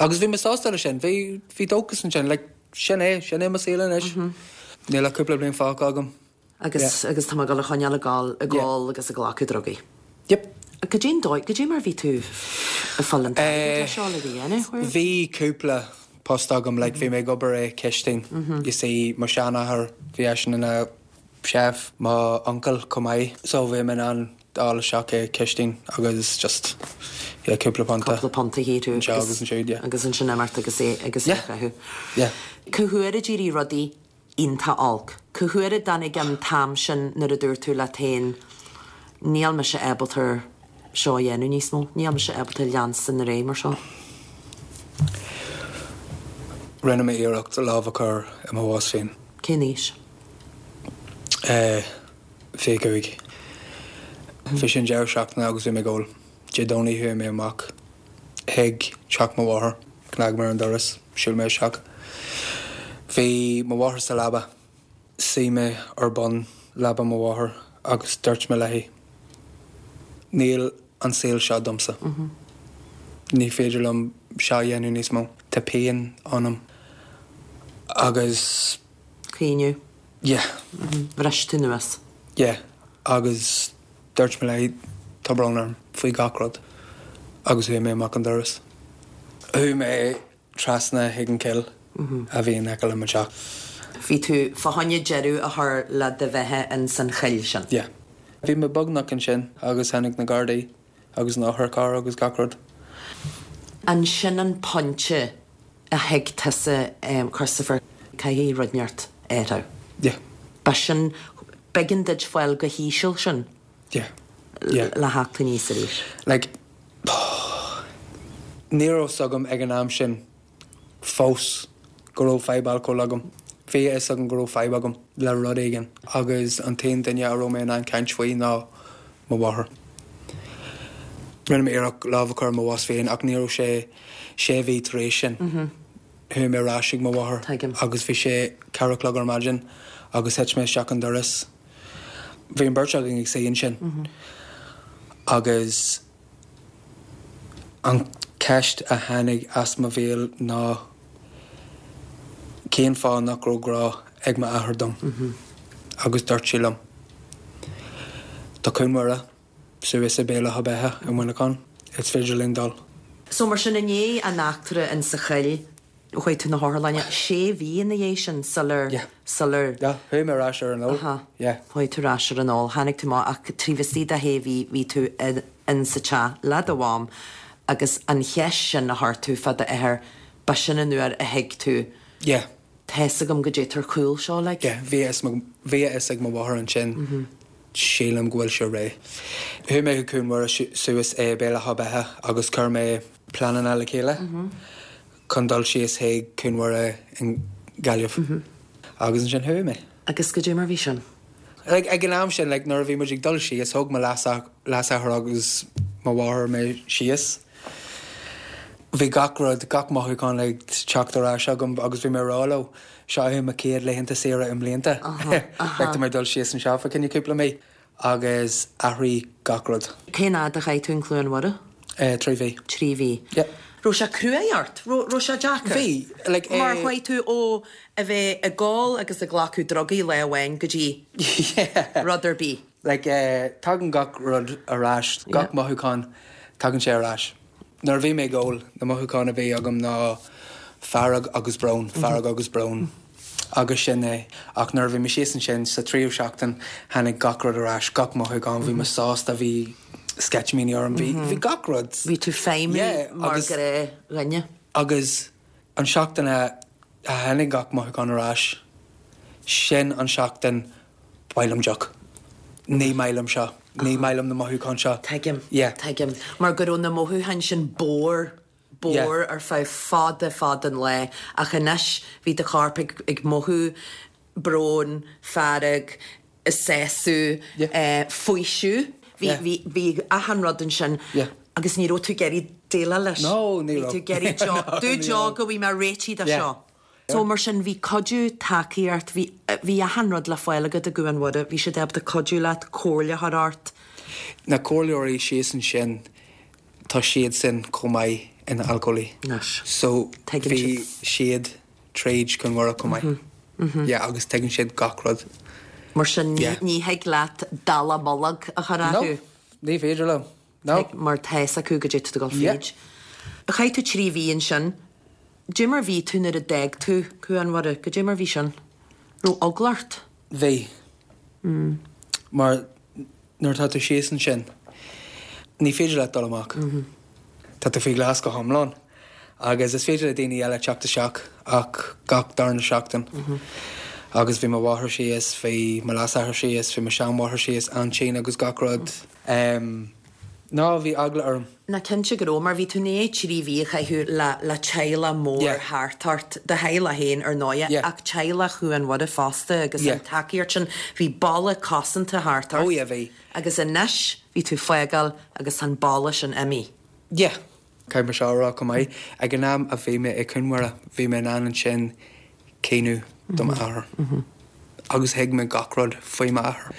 Agus bhí mé sásta leis sin, bhí dóchas ansin, like, sin é, sin é mo saol anois. Níl ach cúpla bliain fágtha agam. Agus, agus tá mé ag dul a choinneáil ag gol, ag ól agus ag glacadh drugaí. Yep. Goidé an dóigh, goidé mar bhí tú ag fáil an t-airgead le seo uilig a dhéanamh? Bhí cúpla post agam, like bhí mé ag obair i cistin, you see, mo sheanathair, bhí eisean ina chef, mo uncail chomh maith, so bhí mé in ann dul isteach i cistin agus just, yeah, cúpla punt a. Cúpla punt a shaothrú agus. Anseo agus ansiúd, yeah. Agus ansin imeacht agus é, agus é a chaitheamh. Yeah. Cá huair a d'éirigh rudaí iontach olc. Cá huair a dtáinig an t-am sin nuair a dúirt tú leat féin níl mise ábalta seo a dhéanamh níos mó, níl mise ábalta leanstan ar aghaidh mar seo? Rinne mé iarracht lámh a chur i mo bhás féin. Cén aois? Eh, 25. Bhí sin deireadh seachtaine agus bhí mé ag ól. Dé Domhnaigh chuaigh mé amach chuig teach mo mháthar. Chnag mé ar an doras, shiúil mé isteach. Bhí mo mháthair sa leaba. Suigh mé ar bun leaba mo mháthar agus dúirt mé léi, Níl an saol seo domsa. Ní féidir liom seo a dhéanamh níos mó. Tá pian ionam agus. Caoineadh. Yeah. Bhris tú anuas. Yeah. Agus Dúirt mé léi, tá brón orm faoi gach rud agus chuaigh mé amach an doras. Chuaigh mé trasna chuig an chill a bhí in aice le mo teach. Bhí tú fá choinne deireadh a chur le do bheatha ins an chill sin. Yeah. Bhí mé beagnach ansin agus tháinig na Gardaí agus an otharcharr agus gach rud. An sin an pointe a thuig tusa, Christopher, caithfidh rud inteacht athrú. Yeah. Ba sin, b'éigean duit fáil chomh híseal sin. Yeah. Yeah. Le theacht aníos arís. Like, ní raibh fhios agam ag an am sin fós go raibh fadhb alcóil agam. Bhí a fhios agam go raibh fadhb agam le rud éigin agus an t-aon duine a raibh mé in ann caint faoi ná mo mháthair. Rinne mé iarracht lámh a chur i mo bhás féin ach ní raibh sé sé mhí tar éis sin. Chuaigh mé ar ais chuig mo mháthair agus bhí sé ceathrú a chlog ar maidin agus thit mé isteach an doras. Bhí an bheirt againn ag suí ansin agus an cheist a tháinig as mo bhéal ná cén fáth nach raibh grá ag m'athair dom? Agus dúirt sí liom, Tá Cuan Mhuire suas i Béal Átha Beithe i Muineachán, is féidir linn dul. So mar sin i ndiaidh an eachtra in sa choill, chuaigh tú na hotharlainne, sé mhí ina dhiaidh sin sular, Yeah. sular. Yeah, chuaigh mé ar ais ar an ól. Aha. Yeah. Chuaigh tú ar ais ar an ól, tháinig tú amach ach taobh istigh de shé mhí bhí tú in sa teach le do mham agus an cheist sin a chuir tú fá d'athair, ba sin an uair a thuig tú. Yeah. Tá's agam goidé tá ar chúl seo like. Yeah, bhí a bhí a fhios ag mo mháthair ansin, sílim go bhfuil sé réidh. Chuaigh mé chuig Cuan Mhuire suas i Béal Átha Beithe agus chuir mé pleananna le chéile chun dul síos chuig Cuan Mhuire i nGaillimh. Agus ansin chuaigh mé. Agus goidé mar bhí sin? Like, ag an am sin, like, nuair a bhí muid ag dul síos, thóg mo leasathair agus mo mháthair mé síos. Bhí gach rud, gach mothúchán ag teacht ar ais agam agus bhí mé ag rá leo, seo é mo chéad laethanta saoire i mblianta. Like, tá mé ag dul síos anseo fá choinne cúpla mí agus athraigh gach rud. Cén fhad a chaith tú in Cluain Mhuire? 3 mhí. 3 mhí. Yeah. Raibh sé cruaidh ort? Raibh sé deacair? Bhí, like, eh. Mar chuaigh tú ó a bheith ag ól agus ag glacadh drugaí lá amháin go dtí Yeah. rud ar bith. Like, eh, tagann gach rud ar ais, gach mothúchán, tagann sé ar ais. Nuair a bhí mé ag ól, na mothúcháin a bhí agam ná fearg agus brón, fearg agus brón. Agus sin é. Ach nuair a bhí mé síos ansin sa tríú seachtain, tháinig gach rud ar ais, gach mothúchán, bhí mé sásta, bhí. sceitimíní orm, bhí, bhí gach rud. Bhí tú feidhmiú mar ghnáthdhuine. Agus an seachtain a tháinig gach mothúchán ar ais, sin an seachtain ba mhaith liom deoch. Ní maith liom seo. Ní maith liom na mothúcháin seo. Tuigim. Tuigim. Mar go raibh na mothúcháin sin bodhar, bodhar ar feadh fada fada an lae ach anois bhí do chorp ag, ag mothú brón, fearg, sásamh, faoiseamh. Bhí, bhí, bhí achan rud ansin agus ní raibh tú ag iarraidh déileáil leis. No, ní raibh. Bhí tú ag iarraidh deoch, dú deoch go bhfaighidh mé réitithe de seo. So mar sin bhí cuidiú, tacaíocht, bhí, bhí achan rud le fáil agat i gCuan Mhuire, bhí siad ábalta cuidiú leat, comhairle a chur ort. Na comhairleoirí síos ansin, tá siadsan chomh maith ina alcólaí. Anois. So bhí siad tríd Cuan Mhuire chomh maith. Yeah, agus tuigeann siad gach rud. Mar sin ní thig leat dallamullóg a chur orthu. No, ní féidir liom. No. Mar tá fhios acu goidé tá tú ag dul fríd. Chaith tú 3 mhí ansin. Goidé mar bhí tú nuair a d'fhág tú Cuan Mhuire? Goidé mar bhí sin? Raibh eagla ort? Bhí. Mar nuair atá tú síos ansin, ní féidir leat dul amach. Tá tú faoi ghlas go hiomlán. Agus is féidir le daoine eile teacht isteach ach gach darna seachtain. Agus bhí mo mháthair síos, bhí mo leasathair síos, bhí mo sheanmháthair síos, aintín agus gach rud. No, bhí eagla orm. Ná cinnte go raibh, mar bhí tú i ndiaidh 3 mhí a chaitheamh le le teaghlach mór thart ort, do theaghlach féin ar ndóighe, ach teaghlach Chuan Mhuire fosta agus an tacaíocht sin, bhí balla cosanta thart ort. Oh yeah, bhí. Agus anois bhí tú fágáil agus tá an balla sin imithe. Yeah. Caithfidh mé seo a rá chomh maith, ag an am a bhí mé i Cuan Mhuire, bhí mé in ann ansin caoineadh do m'athair. Agus thuig mé gach rud faoi m'athair.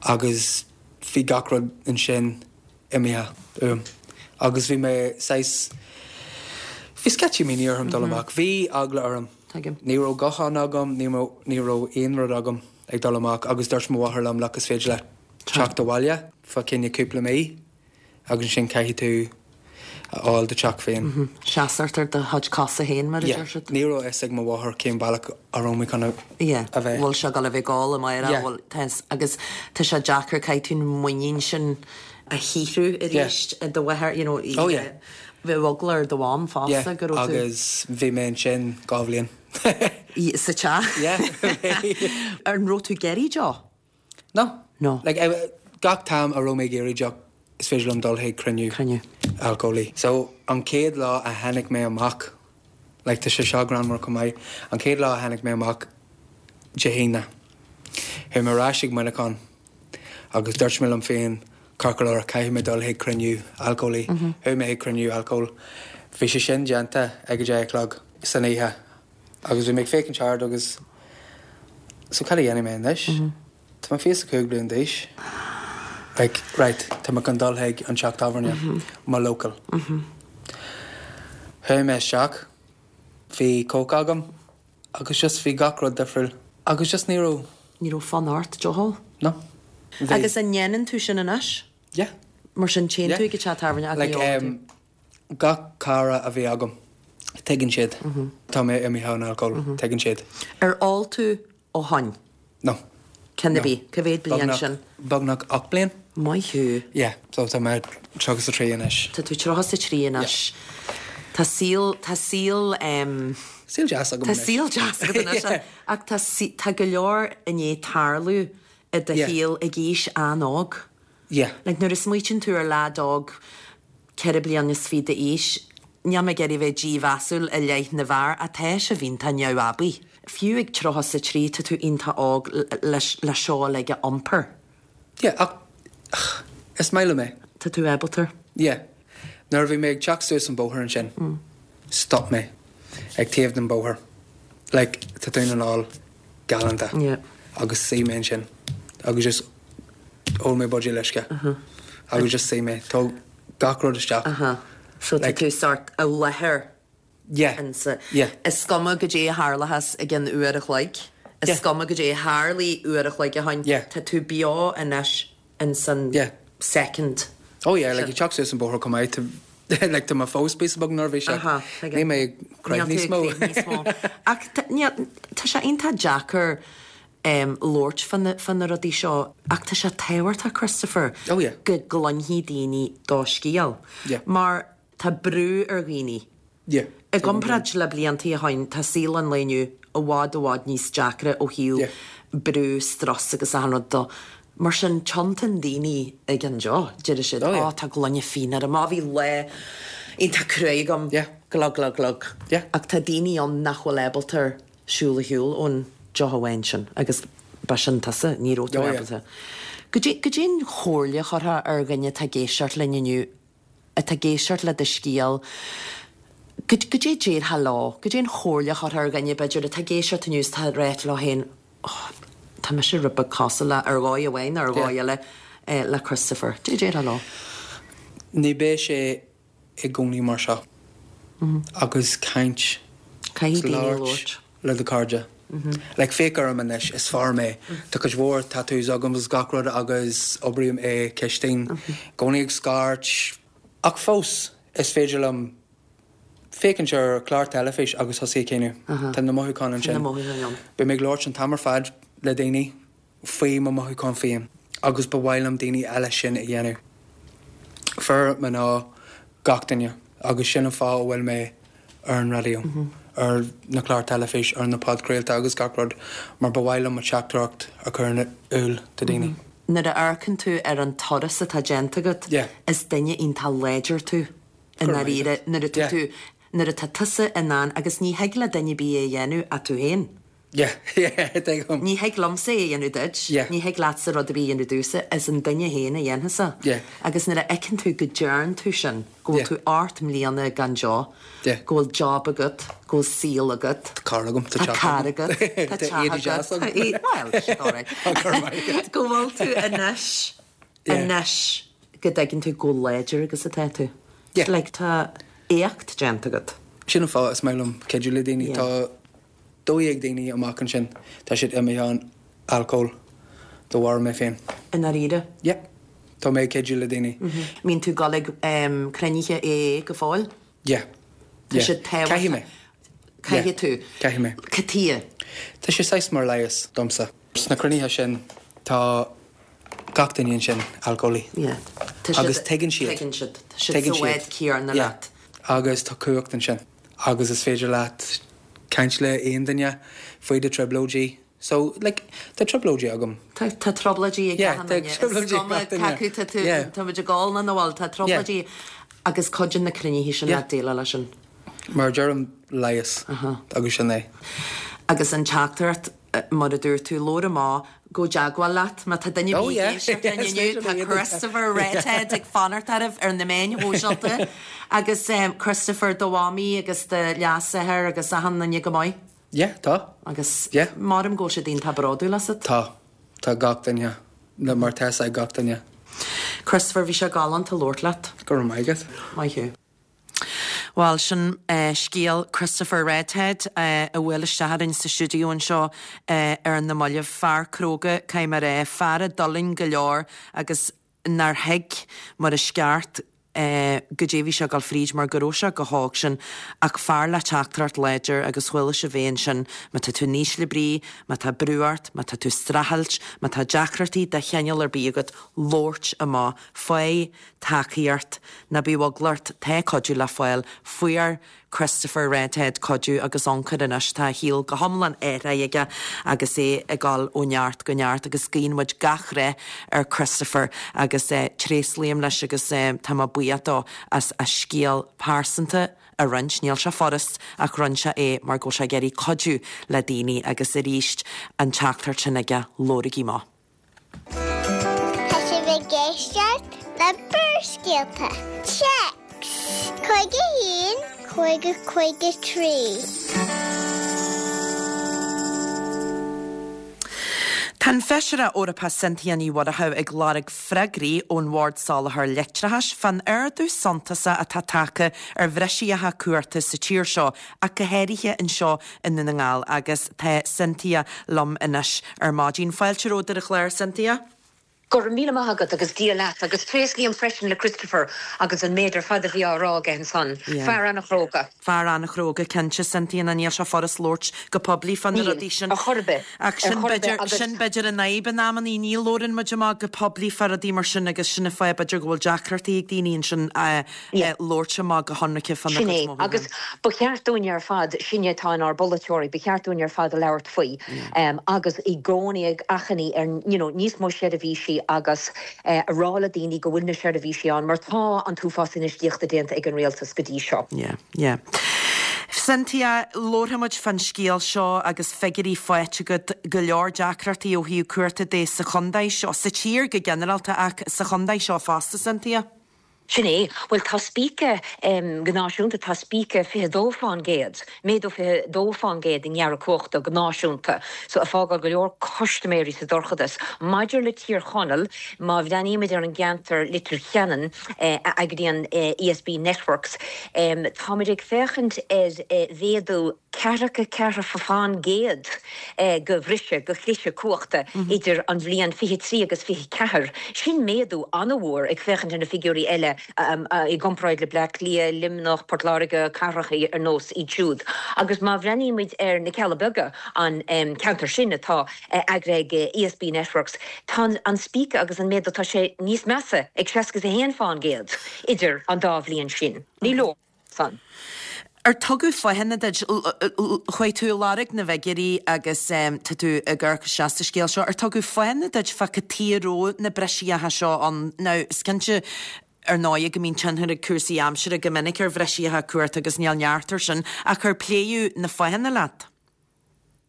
Agus bhí gach rud ansin imithe uaim. Agus bhí mé saghas, bhí sceitimíní orm dul amach. Bhí eagla orm. Tuigim. Ní raibh guthán agam, ní raibh, ní raibh aon rud agam ag dul amach agus dúirt mo mháthair liom, look, is féidir leat teacht abhaile fá choinne cúpla mí. Agus ansin caithfidh tú a fháil do theach féin. Seasamh ar do chuid cosa féin, mar a deir siad. Ní raibh a fhios ag mo mháthair cén bealach a raibh mé chun a bheith. Bhfuil sé ag dul a bheith ag ól amárach, bhfuil, tá, agus tá sé deacair, caithfidh tú an muinín sin a shaothrú arís i do mháthair, you know, oh yeah. Bheadh eagla ar do mham fosta go raibh tú. Agus bhí mé ansin 2 bhliain. Sa teach? Yeah. An raibh tú ag iarraidh deoch? No. No. Like, gach t-am a raibh mé ag iarraidh deoch, is féidir liom dul chuig cruinniú. Cruinniú. Alcólaí. So, an chéad lá a tháinig mé amach, like, tá sé seo greannmhar chomh maith, an chéad lá a tháinig mé amach, Dé hAoine, chuaigh mé ar ais chuig Muineachán agus dúirt mé liom féin, ceart go leor, caithfidh mé dul chuig cruinniú alcólaí. Chuaigh mé chuig cruinniú alcóil. Bhí sé sin déanta ag a deich a chlog san oíche. Agus bhí mé ag féachaint thart agus so cad a dhéanfaidh mé anois? Tá mé 25 bliain d'aois. Like, right, tá mé chun dul chuig an teach tábhairne, mo local. Chuaigh mé isteach, bhí coke agam agus just bhí gach rud difriúil agus just ní raibh. Ní raibh fonn ort deoch a ól? No. Bhí. Agus an ndéanann tú sin anois? Yeah. Mar sin téann tú ag an teach tábhairne ach ní Like, ólann tú? em, Gach cara a bhí agam, tuigeann siad. Tá mé imithe ón alcól, tuigeann siad. Ar ól tú ó shoin? No. Ceann ar bith? Cá mhéad bliain sin? Beagnach 8 bliain. Maith thú. Yeah, so tá mé 33 anois. Tá tú 33 anois. Tá saol, tá saol em. Saol deas agam anois. Tá saol deas agat anois. Ach tá, tá go leor i ndiaidh tarlú i do shaol ag aois an-óg. Yeah. Like nuair a smaoitíonn tú ar leaid óg 24 bliana d'aois, níl mé ag iarraidh bheith dímheasúil i leith na bhfear ach tá sibh iontach neamhaibí. Fiú ag 33 tá tú iontach óg le le seo uilig a iompar. Yeah, ach is maith liom é. Tá tú ábalta. Yeah. Nuair a bhí mé ag teacht suas an bóthar ansin, stop mé ag taobh den bóthar. Like, tá Dún na nGall galánta. Yeah. Agus suigh mé ansin agus just ól mé buidéal uisce. Agus just suigh mé. Tóg gach rud isteach. So tá tú sort i láthair Yeah. insa. Yeah. Is cuma goidé a tharlóchas i gcionn uair a chloig. Yeah. Is cuma goidé a tharlaigh uair a chloig ó shoin. Yeah. Tá tú beo anois insan Yeah. second. Oh yeah, like ag teacht suas an bóthar chomh maith, like tá mé fós píosa beag neirbhíseach. Aha, tuigim. Níl mé ag crith níos mó. Níl tú ag crith níos mó. Ach tá, níl, tá sé iontach deacair. labhairt fá na, fá na rudaí seo ach tá sé tábhachtach, Christopher, Oh yeah. go gcluinfidh daoine do scéal. Yeah. Mar tá brú ar dhaoine. Yeah. I gcomparáid le bliantaí ó shoin, tá saol an lae inniu i bhfad i bhfad níos deacra ó thaobh Yeah. brú, strus agus achan rud dó. Mar sin, tiontaíonn daoine ag an deoch, deir siad, Oh yeah. Ó, tá gloine fíona orm, ó, bhí lá iontach cruaidh agam, Yeah. glug, glug, glug. Yeah. Ach tá daoine ann nach bhfuil ábalta ar siúl ar shiúl ón deoch amháin sin agus b'shin tusa, ní raibh tú Oh yeah. ábalta. Goidé, goidé an chomhairle a chuirfeá ar dhuine atá ag éisteacht linn inniu, atá ag éisteacht le do scéal, goidé a déarfá leo, goidé an chomhairle a chuirfeá ar dhuine, b'fhéidir, atá ag éisteacht inniu is atá ag ráit leo féin, oh, tá mise rud beag cosúil le, ar dhóigh amháin nó ar dhóigh eile, le Christopher. Goidé a déarfá leo? Ní beidh sé i gcónaí mar seo. Agus caint. Caithfidh daoine labhairt. Le do cairde. Like féach orm anois, is fear mé. Tá cuid mhór tattoos agam agus gach rud agus oibrím i cistin. I gcónaí ag scairt. Ach fós, is féidir liom féachaint ar chlár teilifís agus thosaigh ag caoineadh. Tá na mothúcháin ansin. Tá na mothúcháin ann. Bím ag labhairt an t-am ar fad le daoine faoi mo mhothúcháin féin agus ba mhaith liom daoine eile sin a dhéanamh. Fir, mná, gach duine. Agus sin an fáth a bhfuil mé ar an raidió, ar na cláir teilifís, ar na podchraolta agus gach rud, mar ba mhaith liom mo theachtaireacht a chur in iúl do daoine. Nuair a amharcann tú ar an turas atá déanta agat, is duine iontach láidir tú i ndáiríre nuair atá tú, nuair atá tusa in ann, agus ní thig le duine ar bith é a dhéanamh ach tú féin. Yeah, yeah, tuigim. Ní thig liomsa é a dhéanamh duit, Yeah. ní thig leatsa rud ar bith a dhéanamh domhsa, is an duine féin a dhéanfas é. Yeah. Agus nuair a fheiceann tú go dtearn tú sin, go bhfuil Yeah. tú 8 mbliana gan deoch, Yeah. go bhfuil job agat, go bhfuil saol agat, Tá carr agam, tá tá teach carr agam. agat, tá Tá teach éadaí deas agat, agam. tá é- well, sin alright. Tá cur maith agat. Go bhfuil tú anois, Yeah. anois go dtuigeann tú chomh láidir agus atá tú. Yeah. Like tá éacht déanta agat. Sin an fáth is maith liom cuidiú le daoine. Yeah. Tá 12 daoine amach ansin, tá siad imithe ón alcól de bharr mé féin. I ndáiríre? Yeah. Tá mé ag cuidiú le daoine. Mbíonn tú ag dul ag cruinnithe AA go fóill? Yeah. Tá Yeah. siad tábhachtach. Caithfidh mé. Caithfidh tú. Caithfidh mé. Cad chuige? Tá sé saghas mar leigheas domsa. Sna cruinnithe sin tá gach duine ansin alcólaí. Yeah. Tá siad. Agus tuigeann siad. Tuigeann siad. Tá siad sa bhád céanna Yeah. leat. Agus tá cumhacht ansin. Agus is féidir leat caint le aon duine faoi do trioblóidí. So, like, tá trioblóidí agam. Tá, tá trioblóidí ag Yeah, achan tá duine. Is trioblóidí ag cuma gach duine. cé acu tá tú, Yeah. tá muid ag ól nó nach bhfuil, tá trioblóidí Yeah. agus cuidíonn na cruinnithe sin Yeah. leat déileáil leis sin. Mar a deirim, leigheas. Agus sin é. Agus an teachtaireacht, mar a dúirt tú, labhair amach, gabh i dteagmháil leat, má tá duine Oh ar bith ag yeah, éisteacht linn is inniu, féidir tá liom. Christopher Redhead ag fanacht oraibh ar na meáin shóisialta. Agus Christopher, do mhamaí agus do leasathair agus achan duine go maith? Yeah, tá. Agus Yeah. maram go bhfuil siad iontach bródúil asat. Tá. Tá gach duine. Mar tá fhios ag gach duine. Christopher, bhí sé galánta labhairt leat. Go raibh maith agat. Maith thú. Bhuel, sin scéal Christopher Redhead a bhuail isteach orainn sa stiúideo anseo ar na mallaibh. Fear cróga, caithfidh mé a rá, fear a d'fhulaing go leor agus nár thuig mar is ceart goidé a bhí sé ag dul fríd mar go raibh sé chomh hóg sin ach fear le teachtaireacht láidir agus chuala sibh é ansin, má tá tú in ísle brí, má tá brú ort, má tá tú ag streachailt, má tá deacrachtaí de chineál ar bith agat, labhairt amach, faigh tacaíocht, ná bíodh eagla ort, tá cuidiú le fáil. Fuair Christopher Redhead cuidiú agus ionchur anois, tá a shaol go hiomlán athraithe aige agus é ag dul ó neart go neart agus guíonn muid gach rath ar Christopher agus tréaslaím leis agus tá mé buíoch dó as a scéal pearsanta a roinnt. Níl sé furast ach roinn sé é mar go bhfuil sé ag iarraidh cuidiú le daoine agus arís an teachtaireacht sin aige, labhraigí amach. Tá sibh ag éisteacht le Barrscéalta. Téacs 51 50 53. Tá an Feisire Eorpach Cynthia Ní Mhurchú ag lorg freagraí ón Bhord Soláthair Leictreachais fán ardú suntasach atá tagtha ar bhreisíocha cumhachta sa tír seo ach go háirithe anseo i nDún na nGall agus tá Cynthia liom anois ar maidin. Fáilte romhat ar an chlár, Cynthia. Go raibh míle maith agat agus Dia leat agus tréaslaím freisin le Christopher agus an méid ar fad a bhí á rá aige ansan. Fear an-chróga. Fear an-chróga cinnte, Cynthia, ná níl sé furast labhairt go poiblí fá na rudaí sin. Níl, ar chor ar bith. Ach sin b'fhéidir, sin b'fhéidir an fhadhb in amannaí, ní labhrann muid amach go poiblí fá rudaí mar sin agus sin an fáth b'fhéidir go bhfuil deacrachtaí ag daoine ansin labhairt amach go hionraice fána Sin gcuid é, mothúchán. agus ba cheart dúinne ar fad, sinne atá inár bpolaiteoirí, ba cheart dúinn ar fad a labhairt faoi agus i gcónaí ag achainí ar you know níos mó seirbhísí agus a rá le daoine go bhfuil na seirbhísí ann mar tá an t-uafás infheistíochta déanta ag an rialtas go dtí seo. Yeah, yeah. Cynthia, labharfaidh muid fán scéal seo agus figiúirí faighte agat, go leor deacrachtaí ó thaobh cumhachta de sa chontae seo, sa tír go ginearálta ach sa chontae seo fosta, Cynthia. Sin é. Bhuel, tá spíce, go náisiúnta, tá spíce 22%, méadú 22% i ngearradh cumhachta go náisiúnta, so ag fágáil go leor custaiméirí sa dorchadas. Maidir le Tír Chonaill, má bhreathnaímid ar an gceantar Leitir Ceanainn, a eagraíonn ESB Networks, táimid ag féachaint ar mhéadú ceathracha ceathair fán gcéad de bhriseadh, de chliseadh cumhachta idir an bhliain 23 agus 24. Sin méadú an-mhór ag féachaint ar na figiúirí eile i gcomparáid le Bleá Cliath, Luimneach, Port Láirge, cathracha ar nós iad siúd. Agus má bhreathnaímid ar na Cealla Beaga, an ceantar sin atá eagraithe ag ESB Networks, tá an spíce agus an méadú, tá sé níos measa ag 61 fán gcéad idir an dá bhliain sin. Ní leor. san. Ar tugadh fáthanna duit? Chuaigh tú ag lorg na bhfigiúirí agus tá tú ag amharc isteach sa scéal seo. Ar tugadh fáthanna duit fá cad chuige a raibh na briseacha seo ann? Now, is cinnte, ar ndóighe, go mbíonn tionchar ag cúrsaí aimsire go minic ar bhriseacha cumhachta agus níl neart air sin, ach ar pléadh na fáthanna leat?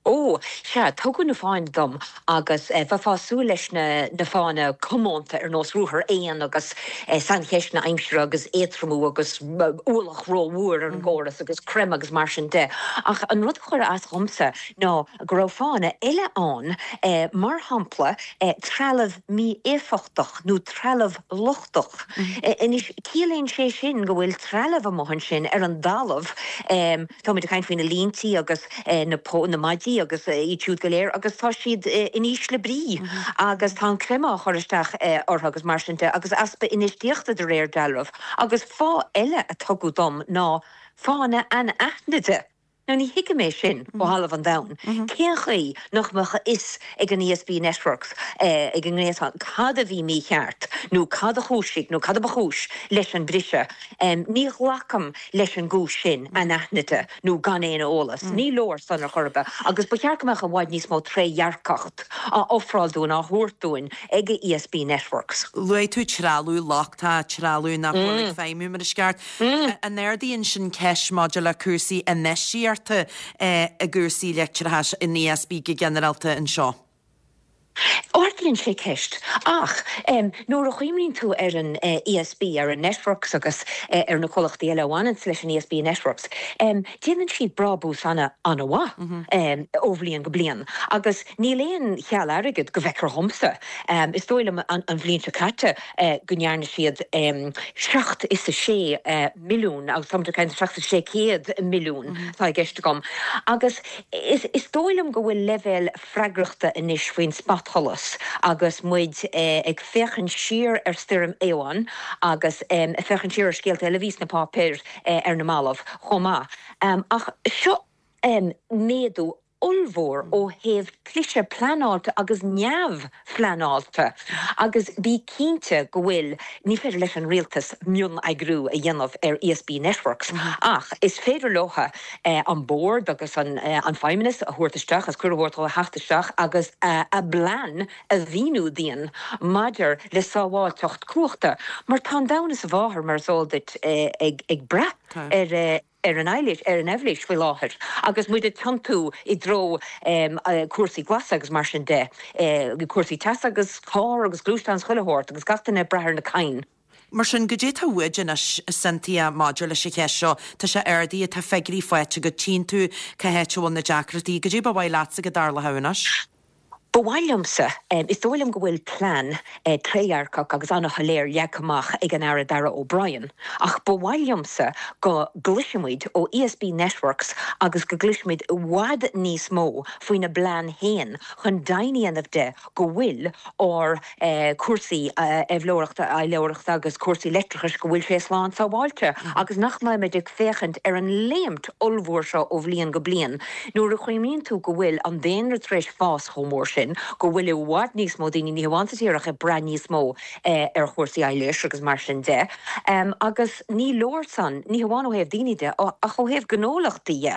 Ó, sea, tugadh na fáthanna dom agus bheifeá ag súil leis na na fáthanna comónta ar nós ruathar éan agus saincheisteanna aimsire agus éadtromú agus ualach rómhór ar an gcóras agus creimeadh agus mar sin de. Ach an rud a chuir as dhomsa ná go raibh fáthanna eile ann, mar shampla trealamh mí-éifeachtach nó trealamh lochtach. Anois, ciallaíonn sé sin go bhfuil trealamh amuigh ansin ar an dtalamh, táimid ag caint faoi na líntí agus na na maidí agus iad siúd go léir agus tá siad in ísle brí agus tá an creimeadh á chur isteach orthu agus mar sin de agus easpa infheistíochta de réir dealraimh. Agus fáth eile a tugadh dom ná fáthanna anaithnide. Now ní thuigim é sin ó thalamh an domhain. Cén chaoi nach mbeadh a fhios ag an ESB Networks, ag an ngréasán, cad a bhí mícheart nó cad a chúisigh nó cad a ba chúis leis an briseadh? Ní ghlacaim leis an gcúis sin, anaithnide nó gan aon eolas. Ní leor san ar chor ar bith agus ba cheart go mbeadh i bhfad níos mó trédhearcacht á ofráil dúinn, á thabhairt dúinn ag ESB Networks. Luaigh tú trealamh lochtach, trealamh nach bhfuil ag feidhmiú mar is ceart. An ardaíonn sin ceist maidir le cúrsaí infheistíochta i gcúrsaí leictreachais in ESB go ginearálta anseo? Ardaíonn sé ceist. Ach nuair a chuimhníonn tú ar an ESB, ar an Networks agus ar na comhlachtaí eile a bhaineanns leis an ESB Networks, déanann siad brábús ana-mhaith ó bhliain go bliain. Agus níl aon cheal airgid, go bhfeictear dhomsa. Is dóigh liom an bhliain seo caite go ndearna siad seacht is a sé milliún, agus táimid ag caint seacht is sé céad milliún atá i gceist agam. Agus is dóigh liom go bhfuil leibhéal freagrachta anois faoin spotsholas agus muid ag féachaint siar ar Stoirm Éowyn agus ag féachaint siar ar scéalta eile a bhí sna páipéir ar na mallaibh chomh maith. Ach seo méadú ollmhór ó thaobh cliseadh pleanáilte agus neamhphleanáilte agus bí cinnte go bhfuil, ní féidir leis an rialtas mioneagrú a dhéanamh ar ESB Networks ach is féidir leo an bord agus an feidhmeannas a thabhairt isteach agus cuireadh a thabhairt dóibh a theacht isteach agus a bplean a mhíniú dúinn maidir le sábháilteacht cumhachta mar tá an domhan is a mháthair, mar is eol duit, ag brath ar ar an aibhléis, ar an aibhléis faoi láthair agus muid ag tiontú i dtreo cúrsaí glasa agus mar sin de, cúrsaí teasa agus carr agus gluaisteán is chuile shórt agus gach duine ag brath ar na crainn. Mar sin, goidé tá uait anois, a Cynthia, maidir leis an cheist seo? Tá sé ardaithe, tá figiúirí faighte agat, tchíonn tú cá háit a bhfuil na deacrachtaí. Goidé ba mhaith leatsa go dtarlódh anois? Ba mhaith liomsa, is dóigh liom go bhfuil plean trédhearcach agus an-shoiléir leagtha amach ag an Aire Darragh O'Brien, ach ba mhaith liomsa go gcloisfimid ó ESB Networks agus go gcloisfimid i bhfad níos mó faoina bplean féin chun deimhin a dhéanamh de go bhfuil ár cúrsaí aibhleoireachta, aibhleoireachta agus cúrsaí leictreachais, go bhfuil sé slán sábháilte agus nach mbeimid ag féachaint ar an léimt ollmhór seo ó bhliain go bliain. Nuair a chuimhníonn tú go bhfuil an daonra tar éis fás chomh mór sin, go bhfuil i bhfad níos mó daoine, ní hamháin sa tír ach ag brath níos mó ar chúrsaí aibhléis agus mar sin de. Agus ní leor san, ní hamháin ó thaobh daoine de ach ó thaobh gnólachtaí dhe.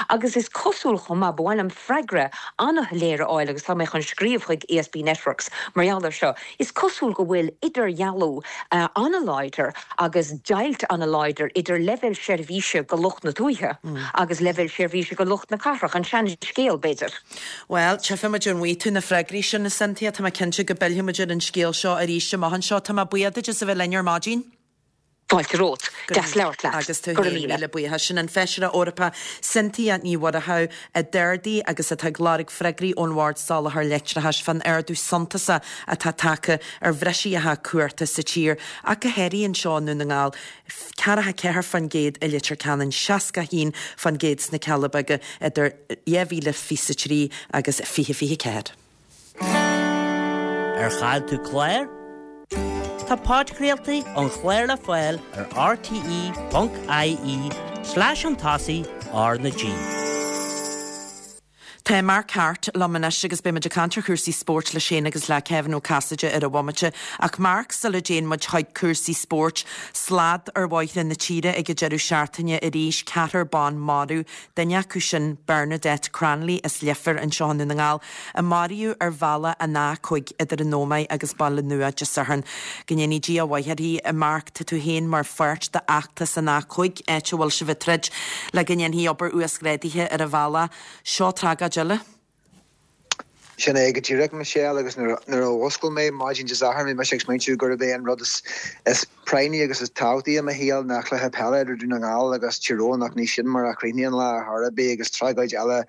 Agus is cosúil chomh maith, ba mhaith liom freagra an-shoiléir a fháil agus tá mé chun scríobh chuig ESB Networks mar gheall air seo, is cosúil go bhfuil idirdhealú an-láidir agus deighilt an-láidir idir leibhéal seirbhíse go lucht na tuaithe agus leibhéal seirbhíse go lucht na cathrach, an sean-scéal, b'fhéidir. Bhuel, tchífidh muid an bhfaighidh tú na freagraí sin, a Cynthia. Tá mé cinnte go bpillfidh muid ar an scéal seo arís amach anseo. Tá mé buíoch duit as a bheith linn ar maidin. Fáilte romhat. Deas labhairt leat. Agus tú féin, míle buíochas. Sin an Feisire Eorpach Cynthia Ní Mhuircheartaigh a d'ardaigh agus atá ag lorg freagraí ón Bhord Soláthair Leictreachais fán ardú suntasach atá tagtha ar bhriseacha cumhachta sa tír, ach go háirithe anseo i nDún na nGall, 44% i Leitir Ceanainn, 61% sna Cealla Beaga idir 2023 agus 2024. Ar chaill tú clár? Tá podchraoltaí an chláir le fáil ar rte.ie slash chun tosaigh R na G. Tá Mark Harte liom anois agus beidh muid ag caint ar chúrsaí spóirt leis féin agus le Kevin Ó Casaide ar an bhomaite. Ach Mark, sula dtéann muid chuig cúrsaí spóirt, slad ar bhóithre na tíre ag an deireadh seachtaine arís, ceathrar ban marbh, Duine acu sin, Bernadette Cranley as Leifear anseo i nDún na nGall, a maraíodh ar bhealach an A5 idir an Ómaigh agus Baile Nua Dé Sathairn. Go ndéanaí Dia a mhaith uirthi. Mark, tá tú féin mar pháirt d'fheachtas an A5, áit a bhfuil sibh ag troid le go ndéanfaí obair uasghrádaithe ar an bhealach. Seo tragóid eile. Sin é go díreach, Michelle, agus nuair a mhuscail mé maidin Dé Sathairn bhí mise ag smaointiú gurb é an rud is práinní agus is tábhachtaí i mo shaol ná cluiche peile idir Dún na nGall agus Tír Eoghain ach ní sin mar a chríochnaigh an lá ar chor ar bith agus tragóid eile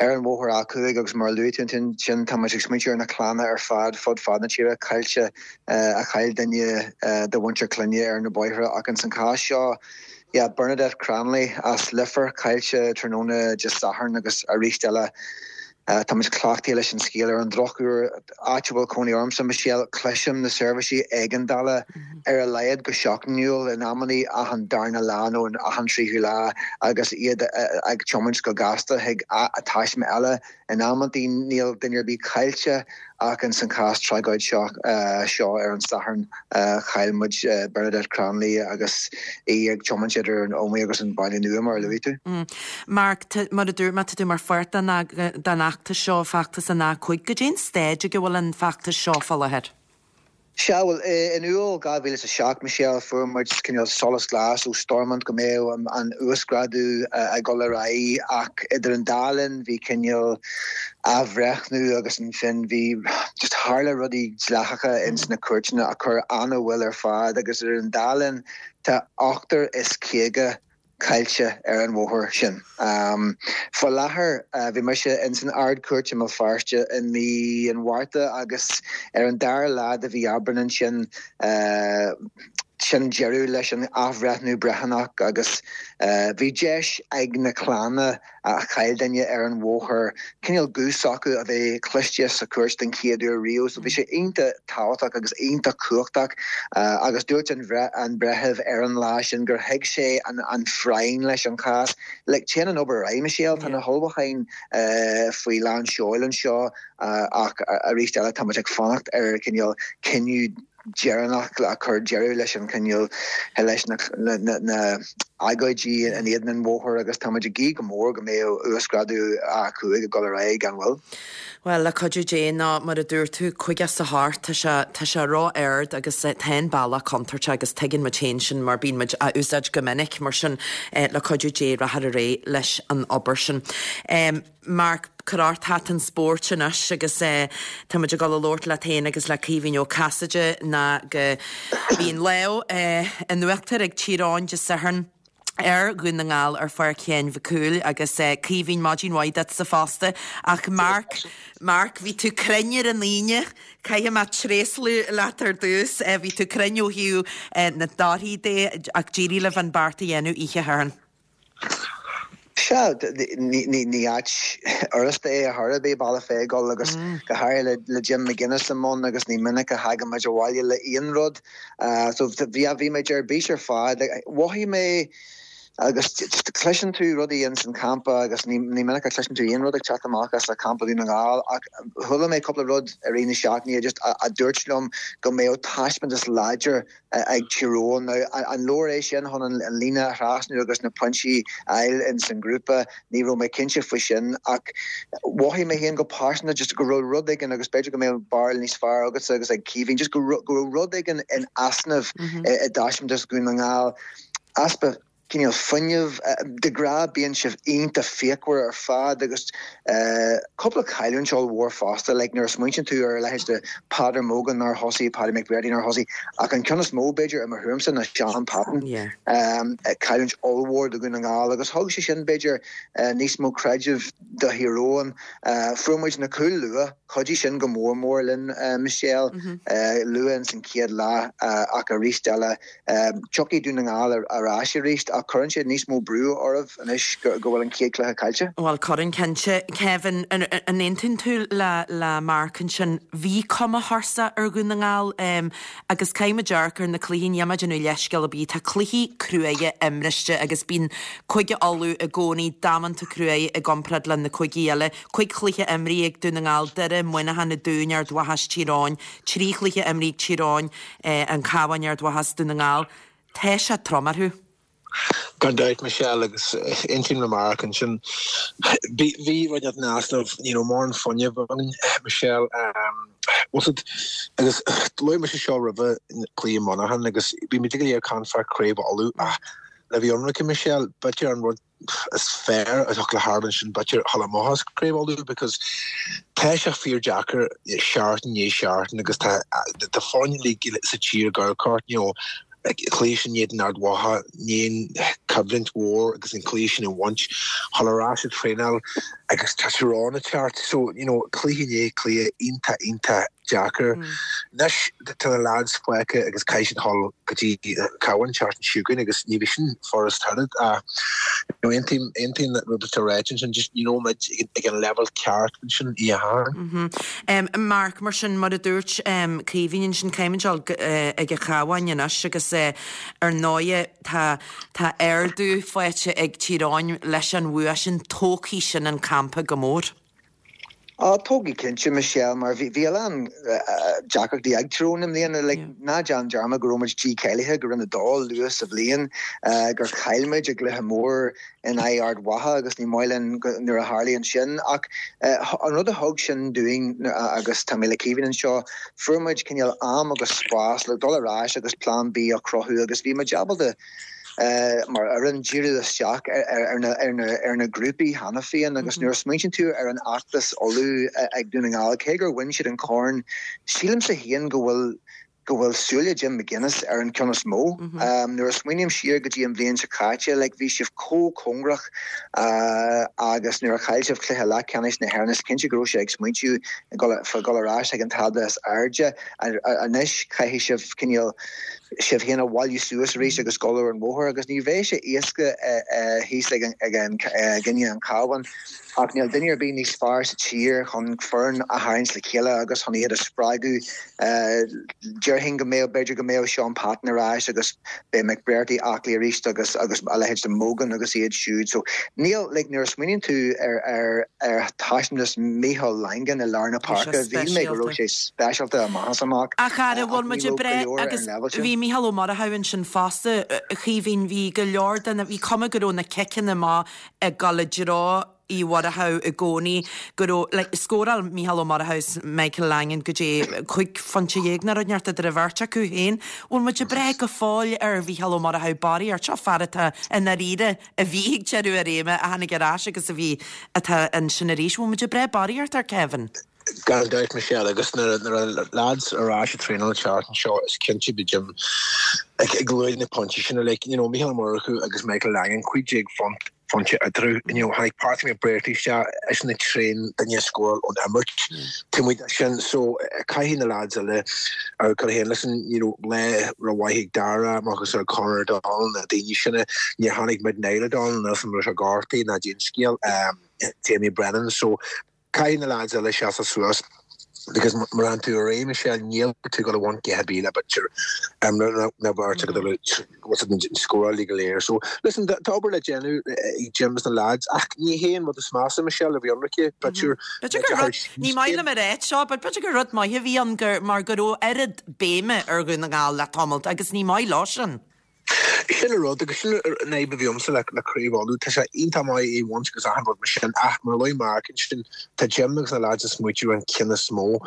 ar an bhóthar A5 agus mar a luaigh tú ansin tá muid ag smaointiú ar na clanna ar fad fud fad na tíre caillte a chaill duine de mhuintir clainne ar na bóithre ach ins an chás seo Yeah, Bernadette Cranley as Leifear, caillte tráthnóna Dé Sathairn agus arís eile tá muid cleachtaithe leis an scéal. Ar an drochuair, áit a bhfuil cónaí ormsa, Michelle, cloisim na seirbhísí éigeandála ar a laghad go seachtainiúil, in amannaí achan darna lá nó achan tríú lá agus iad ag tiomáint go gasta chuig taisme eile. In amantaí níl duine ar bith caillte ach ins an chás tragóid seo seo ar an Satharn chaill muid Bernadette Cranley agus í ag tiomáint idir an Ómaigh agus an Baile Nua mar a luaigh tú. Mark, mar a dúirt mé, tá tú mar pháirt den fheachtas seo, feachtas an A5. Goidé an staid ag a bhfuil an feachtas seo fá láthair? Sea, bhuel, in Iúil 2007, Michelle, fuair muid cineál solas glas ó Stormont go mbeadh an uasghrádú ag dul ar aghaidh ach idir an dá linn bhí cineál athbhreithniú agus ansin bhí just tharla rudaí dleathacha ins na cúirteanna a chuir an-mhoill ar fad agus idir an dá linn tá 58 caillte ar an bhóthar sin. Faoi láthair, bhí mise ins an Ard-Chúirt i mBéal Feirste i mí an Mhárta agus ar an dara lá de mhí Aibreán ansin, sin deireadh leis an athbhreithniú breithiúnach agus bhí deis ag na clanna a chaill duine ar an bhóthar, cineál guth s'acu a bheith cloiste sa chúirt den chéad uair riamh. So bhí sé iontach tábhachtach agus iontach cumhachtach agus dúirt an an breitheamh ar an lá sin gur thuig sé an an phráinn leis an chás. Like téann an obair ar aghaidh, Michelle, tá na hullmhúcháin faoi lán seoil anseo ach arís eile tá muid ag fanacht ar cineál cinneadh deireanach le cur deireadh leis an chineál leis na agóidí in éadan an bhóthair agus tá muid ag guí go mór go mbeidh uasghrádú A5 ag dul ar aghaidh gan mhoill. Bhuel, le cuidiú Dé, nó mar a dúirt tú, 58, tá sé, tá sé ró-ard agus tá an bealach contúirteach agus tuigeann muid féin sin mar bíonn muid á úsáid go minic, mar sin le cuidiú Dé rachfar ar aghaidh leis an obair sin. Mark, cuir ort hata an spóirt anois agus tá muid ag dul a labhairt leat féin agus le Caoimhín Ó Casaide ná go bhí an lámh in uachtar ag Tír Eoghain Dé Sathairn. Ar Dhún na nGall ar Pháirc Sheáin Mhic Cumhaill agus Caoimhín, maidin mhaith duitse fosta. Ach Mark, Mark, bhí tú cruinn ar an Aoine, caithfidh mé tréaslú leat ar dtús. Bhí tú cruinn ó thaobh na dtorthaí de ach d'éirigh libh an beart a dhéanamh oíche Shathairn. Sea, ní áit fhurasta é ar chor ar bith Baile Pheigil agus go háirithe le Jim McGuinness i mbun agus ní minic a thagann muid abhaile le aon rud. So bhí, bhí muid ar bís ar fad. Mhothaigh mé agus cloiseann tú rudaí ins an campa agus ní minic a chloiseann tú aon rud ag teacht amach as campa Dhún na nGall ach chuala mé cúpla rud i rith na seachtaine just a dúirt liom go mbeadh taispeántas láidir ag Tír Eoghain. Now, an leor é sin chun an líne a thrasnú agus na pointí a fháil ins an ngrúpa? Ní raibh mé cinnte faoi sin ach mhothaigh mé féin go pearsanta just go raibh rud éigin agus b'fhéidir go mbeadh barúil níos fearr agatsa agus ag Caoimhín, just go raibh rud éigin in easnamh i dtaispeántas Dhún na nGall. Easpa cineál fuinnimh. De ghnáth bíonn sibh iontach fíochmhar ar fad agus cúpla cailliúint ollmhór fosta, like nuair a smaointíonn tú ar a leithéid de Peadar Mogan nár thosaigh, Paddy McBrearty nár thosaigh, ach an ceann is mó b'fhéidir i mo thuairimse ná Shaun Patton. Cailliúint ollmhór do Dhún na nGall agus thug sé sin b'fhéidir níos mó creidimh do Thír Eoghain. Fuair muid na cúil luath, chuidigh sin go mór mór linn Michelle, luath ins an chéad leath ach arís eile Tiocfaidh Dún na nGall ar ais arís ach cuireann sé níos mó brú oraibh anois go bhfuil an chéad chluiche caillte. Bhuel, cuireann cinnte. Kevin, an aontaíonn tú le Mark ansin? Bhí cuma thuirseach ar Dhún na nGall agus caithfidh muid amharc ar na cluichí, níl mé ag déanamh leithscéal ar bith, tá cluichí cruaidhe imriste agus bíonn Cúige Uladh i gcónaí damanta cruaidh i gcomparáid le na cúigí eile. Cuig chluiche imrithe ag Dún na nGall, Doire, Muineachán, Na Dúin, Ard Mhacha is Tír Eoghain, 3 chluiche imrithe ag Tír Eoghain, An Cabhán, Ard Mhacha is Dún na nGall. Tá sé trom orthu. Gan dabht, Michelle, agus aontaím le Mark ansin. Bhí rud in easnamh, ní raibh mórán fuinnimh againn, Michelle. Bhfuil 's agat, agus luaigh mise seo roimhe cluiche Mhuineacháin agus bhí muid go léir ag caint fá Craobh Uladh ach le bheith ionraice, Michelle, b'fhéidir an rud is fearr a thiocfadh le tarlú ansin b'fhéidir dhul amach as Craobh Uladh because tá sé fíor deacair seachtain i ndiaidh seachtain agus tá tá foirne uilig sa tír ag amharc ort you know cluiche sin in éadan Ard Mhacha ní aon choimhlint mhór agus an cluiche sin a bhaint dhul ar ais ag traenáil agus tá Tír Eoghain ag teacht so you know cluiche i ndiaidh cluiche iontach iontach deacair. Anois tá na lads fágtha agus caithfidh siad dhul go dtí an Cabhán an tseachtain seo chugainn agus ní bheidh sin furast oiread ach you know aontaím aontaím le rud atá ráite ansin just ní raibh muid ag an leibhéal ceart ansin oíche Shathairn. Mark, mar sin mar a dúirt Caoimhín ansin caithfidh muid dul ag an Chabhán anois agus ar ndóighe tá tá ardú faighte ag Tír Eoghain leis an bhua sin tógfaidh sin an campa go mór. Á, tógfaidh cinnte, Michelle, mar bhí a lán deacrachtaí ag Tír Eoghain i mbliana. Like, ná déan dearmad go raibh muid dícháilithe go Roinn 2 luath sa bhliain, gur chaill muid i gcluiche mór in aghaidh Ard Mhacha agus ní maith linn nuair a tharlaíonn sin. Ach an rud a thug sin dúinn, agus tá mé le Caoimhín anseo, fuair muid cineál am agus spás le dul ar ais agus plean B a chruthú agus bhí muid ábalta, mar fhoireann, díriú isteach ar na grúpaí cheana féin agus nuair a smaointíonn tú ar an fheachtas Uladh ag Dún na nGall, cé gur bhain siad an corn, sílimse féin go bhfuil go bhfuil súile Jim McGuinness ar an ceann is mó. Nuair a smaoiním siar go dtí an bhliain seo caite, like, bhí sibh chomh cóngarach agus nuair a chaill sibh cluiche leathcheannais na hÉireann, is cinnte go raibh sé ag smaointiú fá dhul ar ais ag an tábla is airde. Anois caithfidh sibh cineál sibh féin a bhailiú suas arís agus dul ar an bhóthar agus ní bheidh sé éasca thíos ag i gcoinne an Chabháin ach níl duine ar bith níos fearr sa tír chun foireann a tharraingt le chéile agus chun iad a spreagadh. Déarfainn go mbeadh, b'fhéidir go mbeadh Shaun Patton ar ais agus beidh McBrearty aclaí arís agus agus a leithéid de Mogan agus iad siúd. So níl, like nuair a smaoiníonn tú ar ar ar thaispeántas Micheál Langan i lár na páirce, shíl mé go raibh sé speisialta amach is amach. Ach ara, bhfuil muid ag breith agus bhí Mícheál Ó Murchú ansin fosta, a Chaoimhín, bhí go leor de na, bhí cuma go raibh na ciceanna amach ag dul i dtreo Uí Mhurchú i gcónaí, go raibh, like, scóráil Mícheál Ó Murchú is Michael Langan go dtí 15 phointe nó rud inteacht idir an bheirt acu féin. Bhfuil muid ag breith go fóill ar Mhícheál Ó Murchú barraíocht? Seo fear atá i ndáiríre a bhí ag deireadh a réime, a tháinig ar ais agus a bhí, atá ansin arís. Bhfuil muid ag breith barraíocht air, Kevin? Gan dabht, Michelle, agus nuair a lads ar ais ag traenáil an tseachtain seo, is cinnte beidh Jim ag luaigh na pointí sin uilig. You know, Mícheál Ó Murchú agus Michael Langan, 15 phointe eatarthu. You know, tháinig Patrick McBrearty isteach, eisean an t-aon duine a scóráil ón imirt taobh amuigh de sin. So, caithfidh na lads eile ar cur féin. Listen, you know, lá rómhaith ag Dara, agus ar Conor O'Donnell, na daoine sin. Níor tháinig muid Niall O'Donnell, níl 's agam an raibh sé gortaithe ná cén scéal. Jamie Brennan. So, Caithfidh na lads eile seasamh suas because mura bhfuil tú ar aghaidh Michelle níl tú ag dul a bhaint a dhath ar bith le b'fhéidir na beirt ag dul a scóráil go léir. So listen tá obair le déanamh ag Jim is na lads ach ní hé an rud is measa Michelle a bhí ionraice b'fhéidir B'fhéidir gur rud, ní maith liom a ráit seo, but b'fhéidir gur rud maith a bhí ann gur mar go raibh oiread béime ar Dhún na nGall le tamalt agus ní maith leo sin. Sin an rud, agus sin an fhadhb a bhí agamsa le Craobh Uladh. Tá sé iontach maith é a bhaint agus achan rud mar sin, ach mar a luaigh Mark ansin, tá Jim agus na lads ag smaoitiú ar an ceann is mó.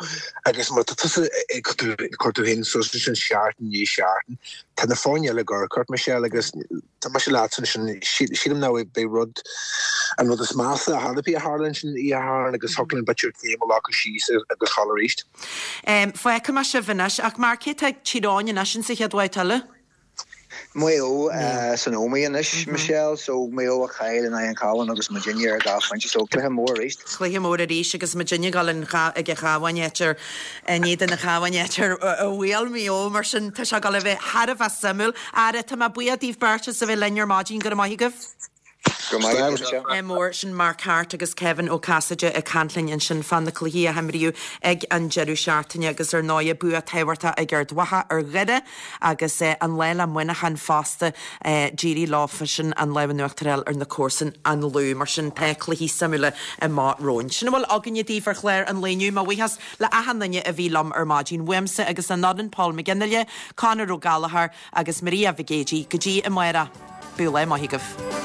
Agus má tá tusa ag cur tú féin suas ansin seachtain i ndiaidh seachtain, tá na foirne eile ag amharc ort, Michelle, agus tá mise leatsa ansin, sílim nach b'é rud, an rud is measa a tharla a tharla ansin oíche Shathairn agus thiocfadh linn b'fhéidir céim a ghlacadh síos agus dhul arís. Fágfaidh mé sibh anois, ach Mark, cé atá ag Tír Eoghain anois insa chéad bhabhta eile? Maigh Eo san iomaíocht anois, Michelle, so Maigh Eo a chaill in aghaidh an Chabháin agus muidinne ar dhá phointe, so cluiche mór arís. Cluiche mór arís agus muidinne ag dul ag an Chabhán áit ar in éadan an Chabháin áit ar bhuail Maigh Eo, mar sin tá sé ag dul a bheith thar a bheith suimiúil. Ara, tá mé buíoch daoibh beirt as a bheith linn ar maidin, go raibh maith agaibh. Go raibh maith agat, Michelle. Mór, sin Mark Harte agus Kevin Ó Casaide ag caint linn ansin fá na cluichí a himríodh ag an deireadh seachtaine agus ar ndóigh bua tábhachtach ag Ard Mhacha ar Dhoire agus an lá le Muineachán fosta d'éirigh leofasan an lámh in uachtar a fháil ar na comharsain an Lú. Mar sin tá cluichí suimiúla amach romhainn. Sin a bhfuil againne daoibh ar chlár an lae inniu. Mo bhuíochas le achan duine a bhí liom ar maidin. Uaimse agus an fhoireann Paul McGinley, Conor Ó Gallchóir agus Maria Mhic Géidigh go dtí amárach. Bíodh lá maith agaibh.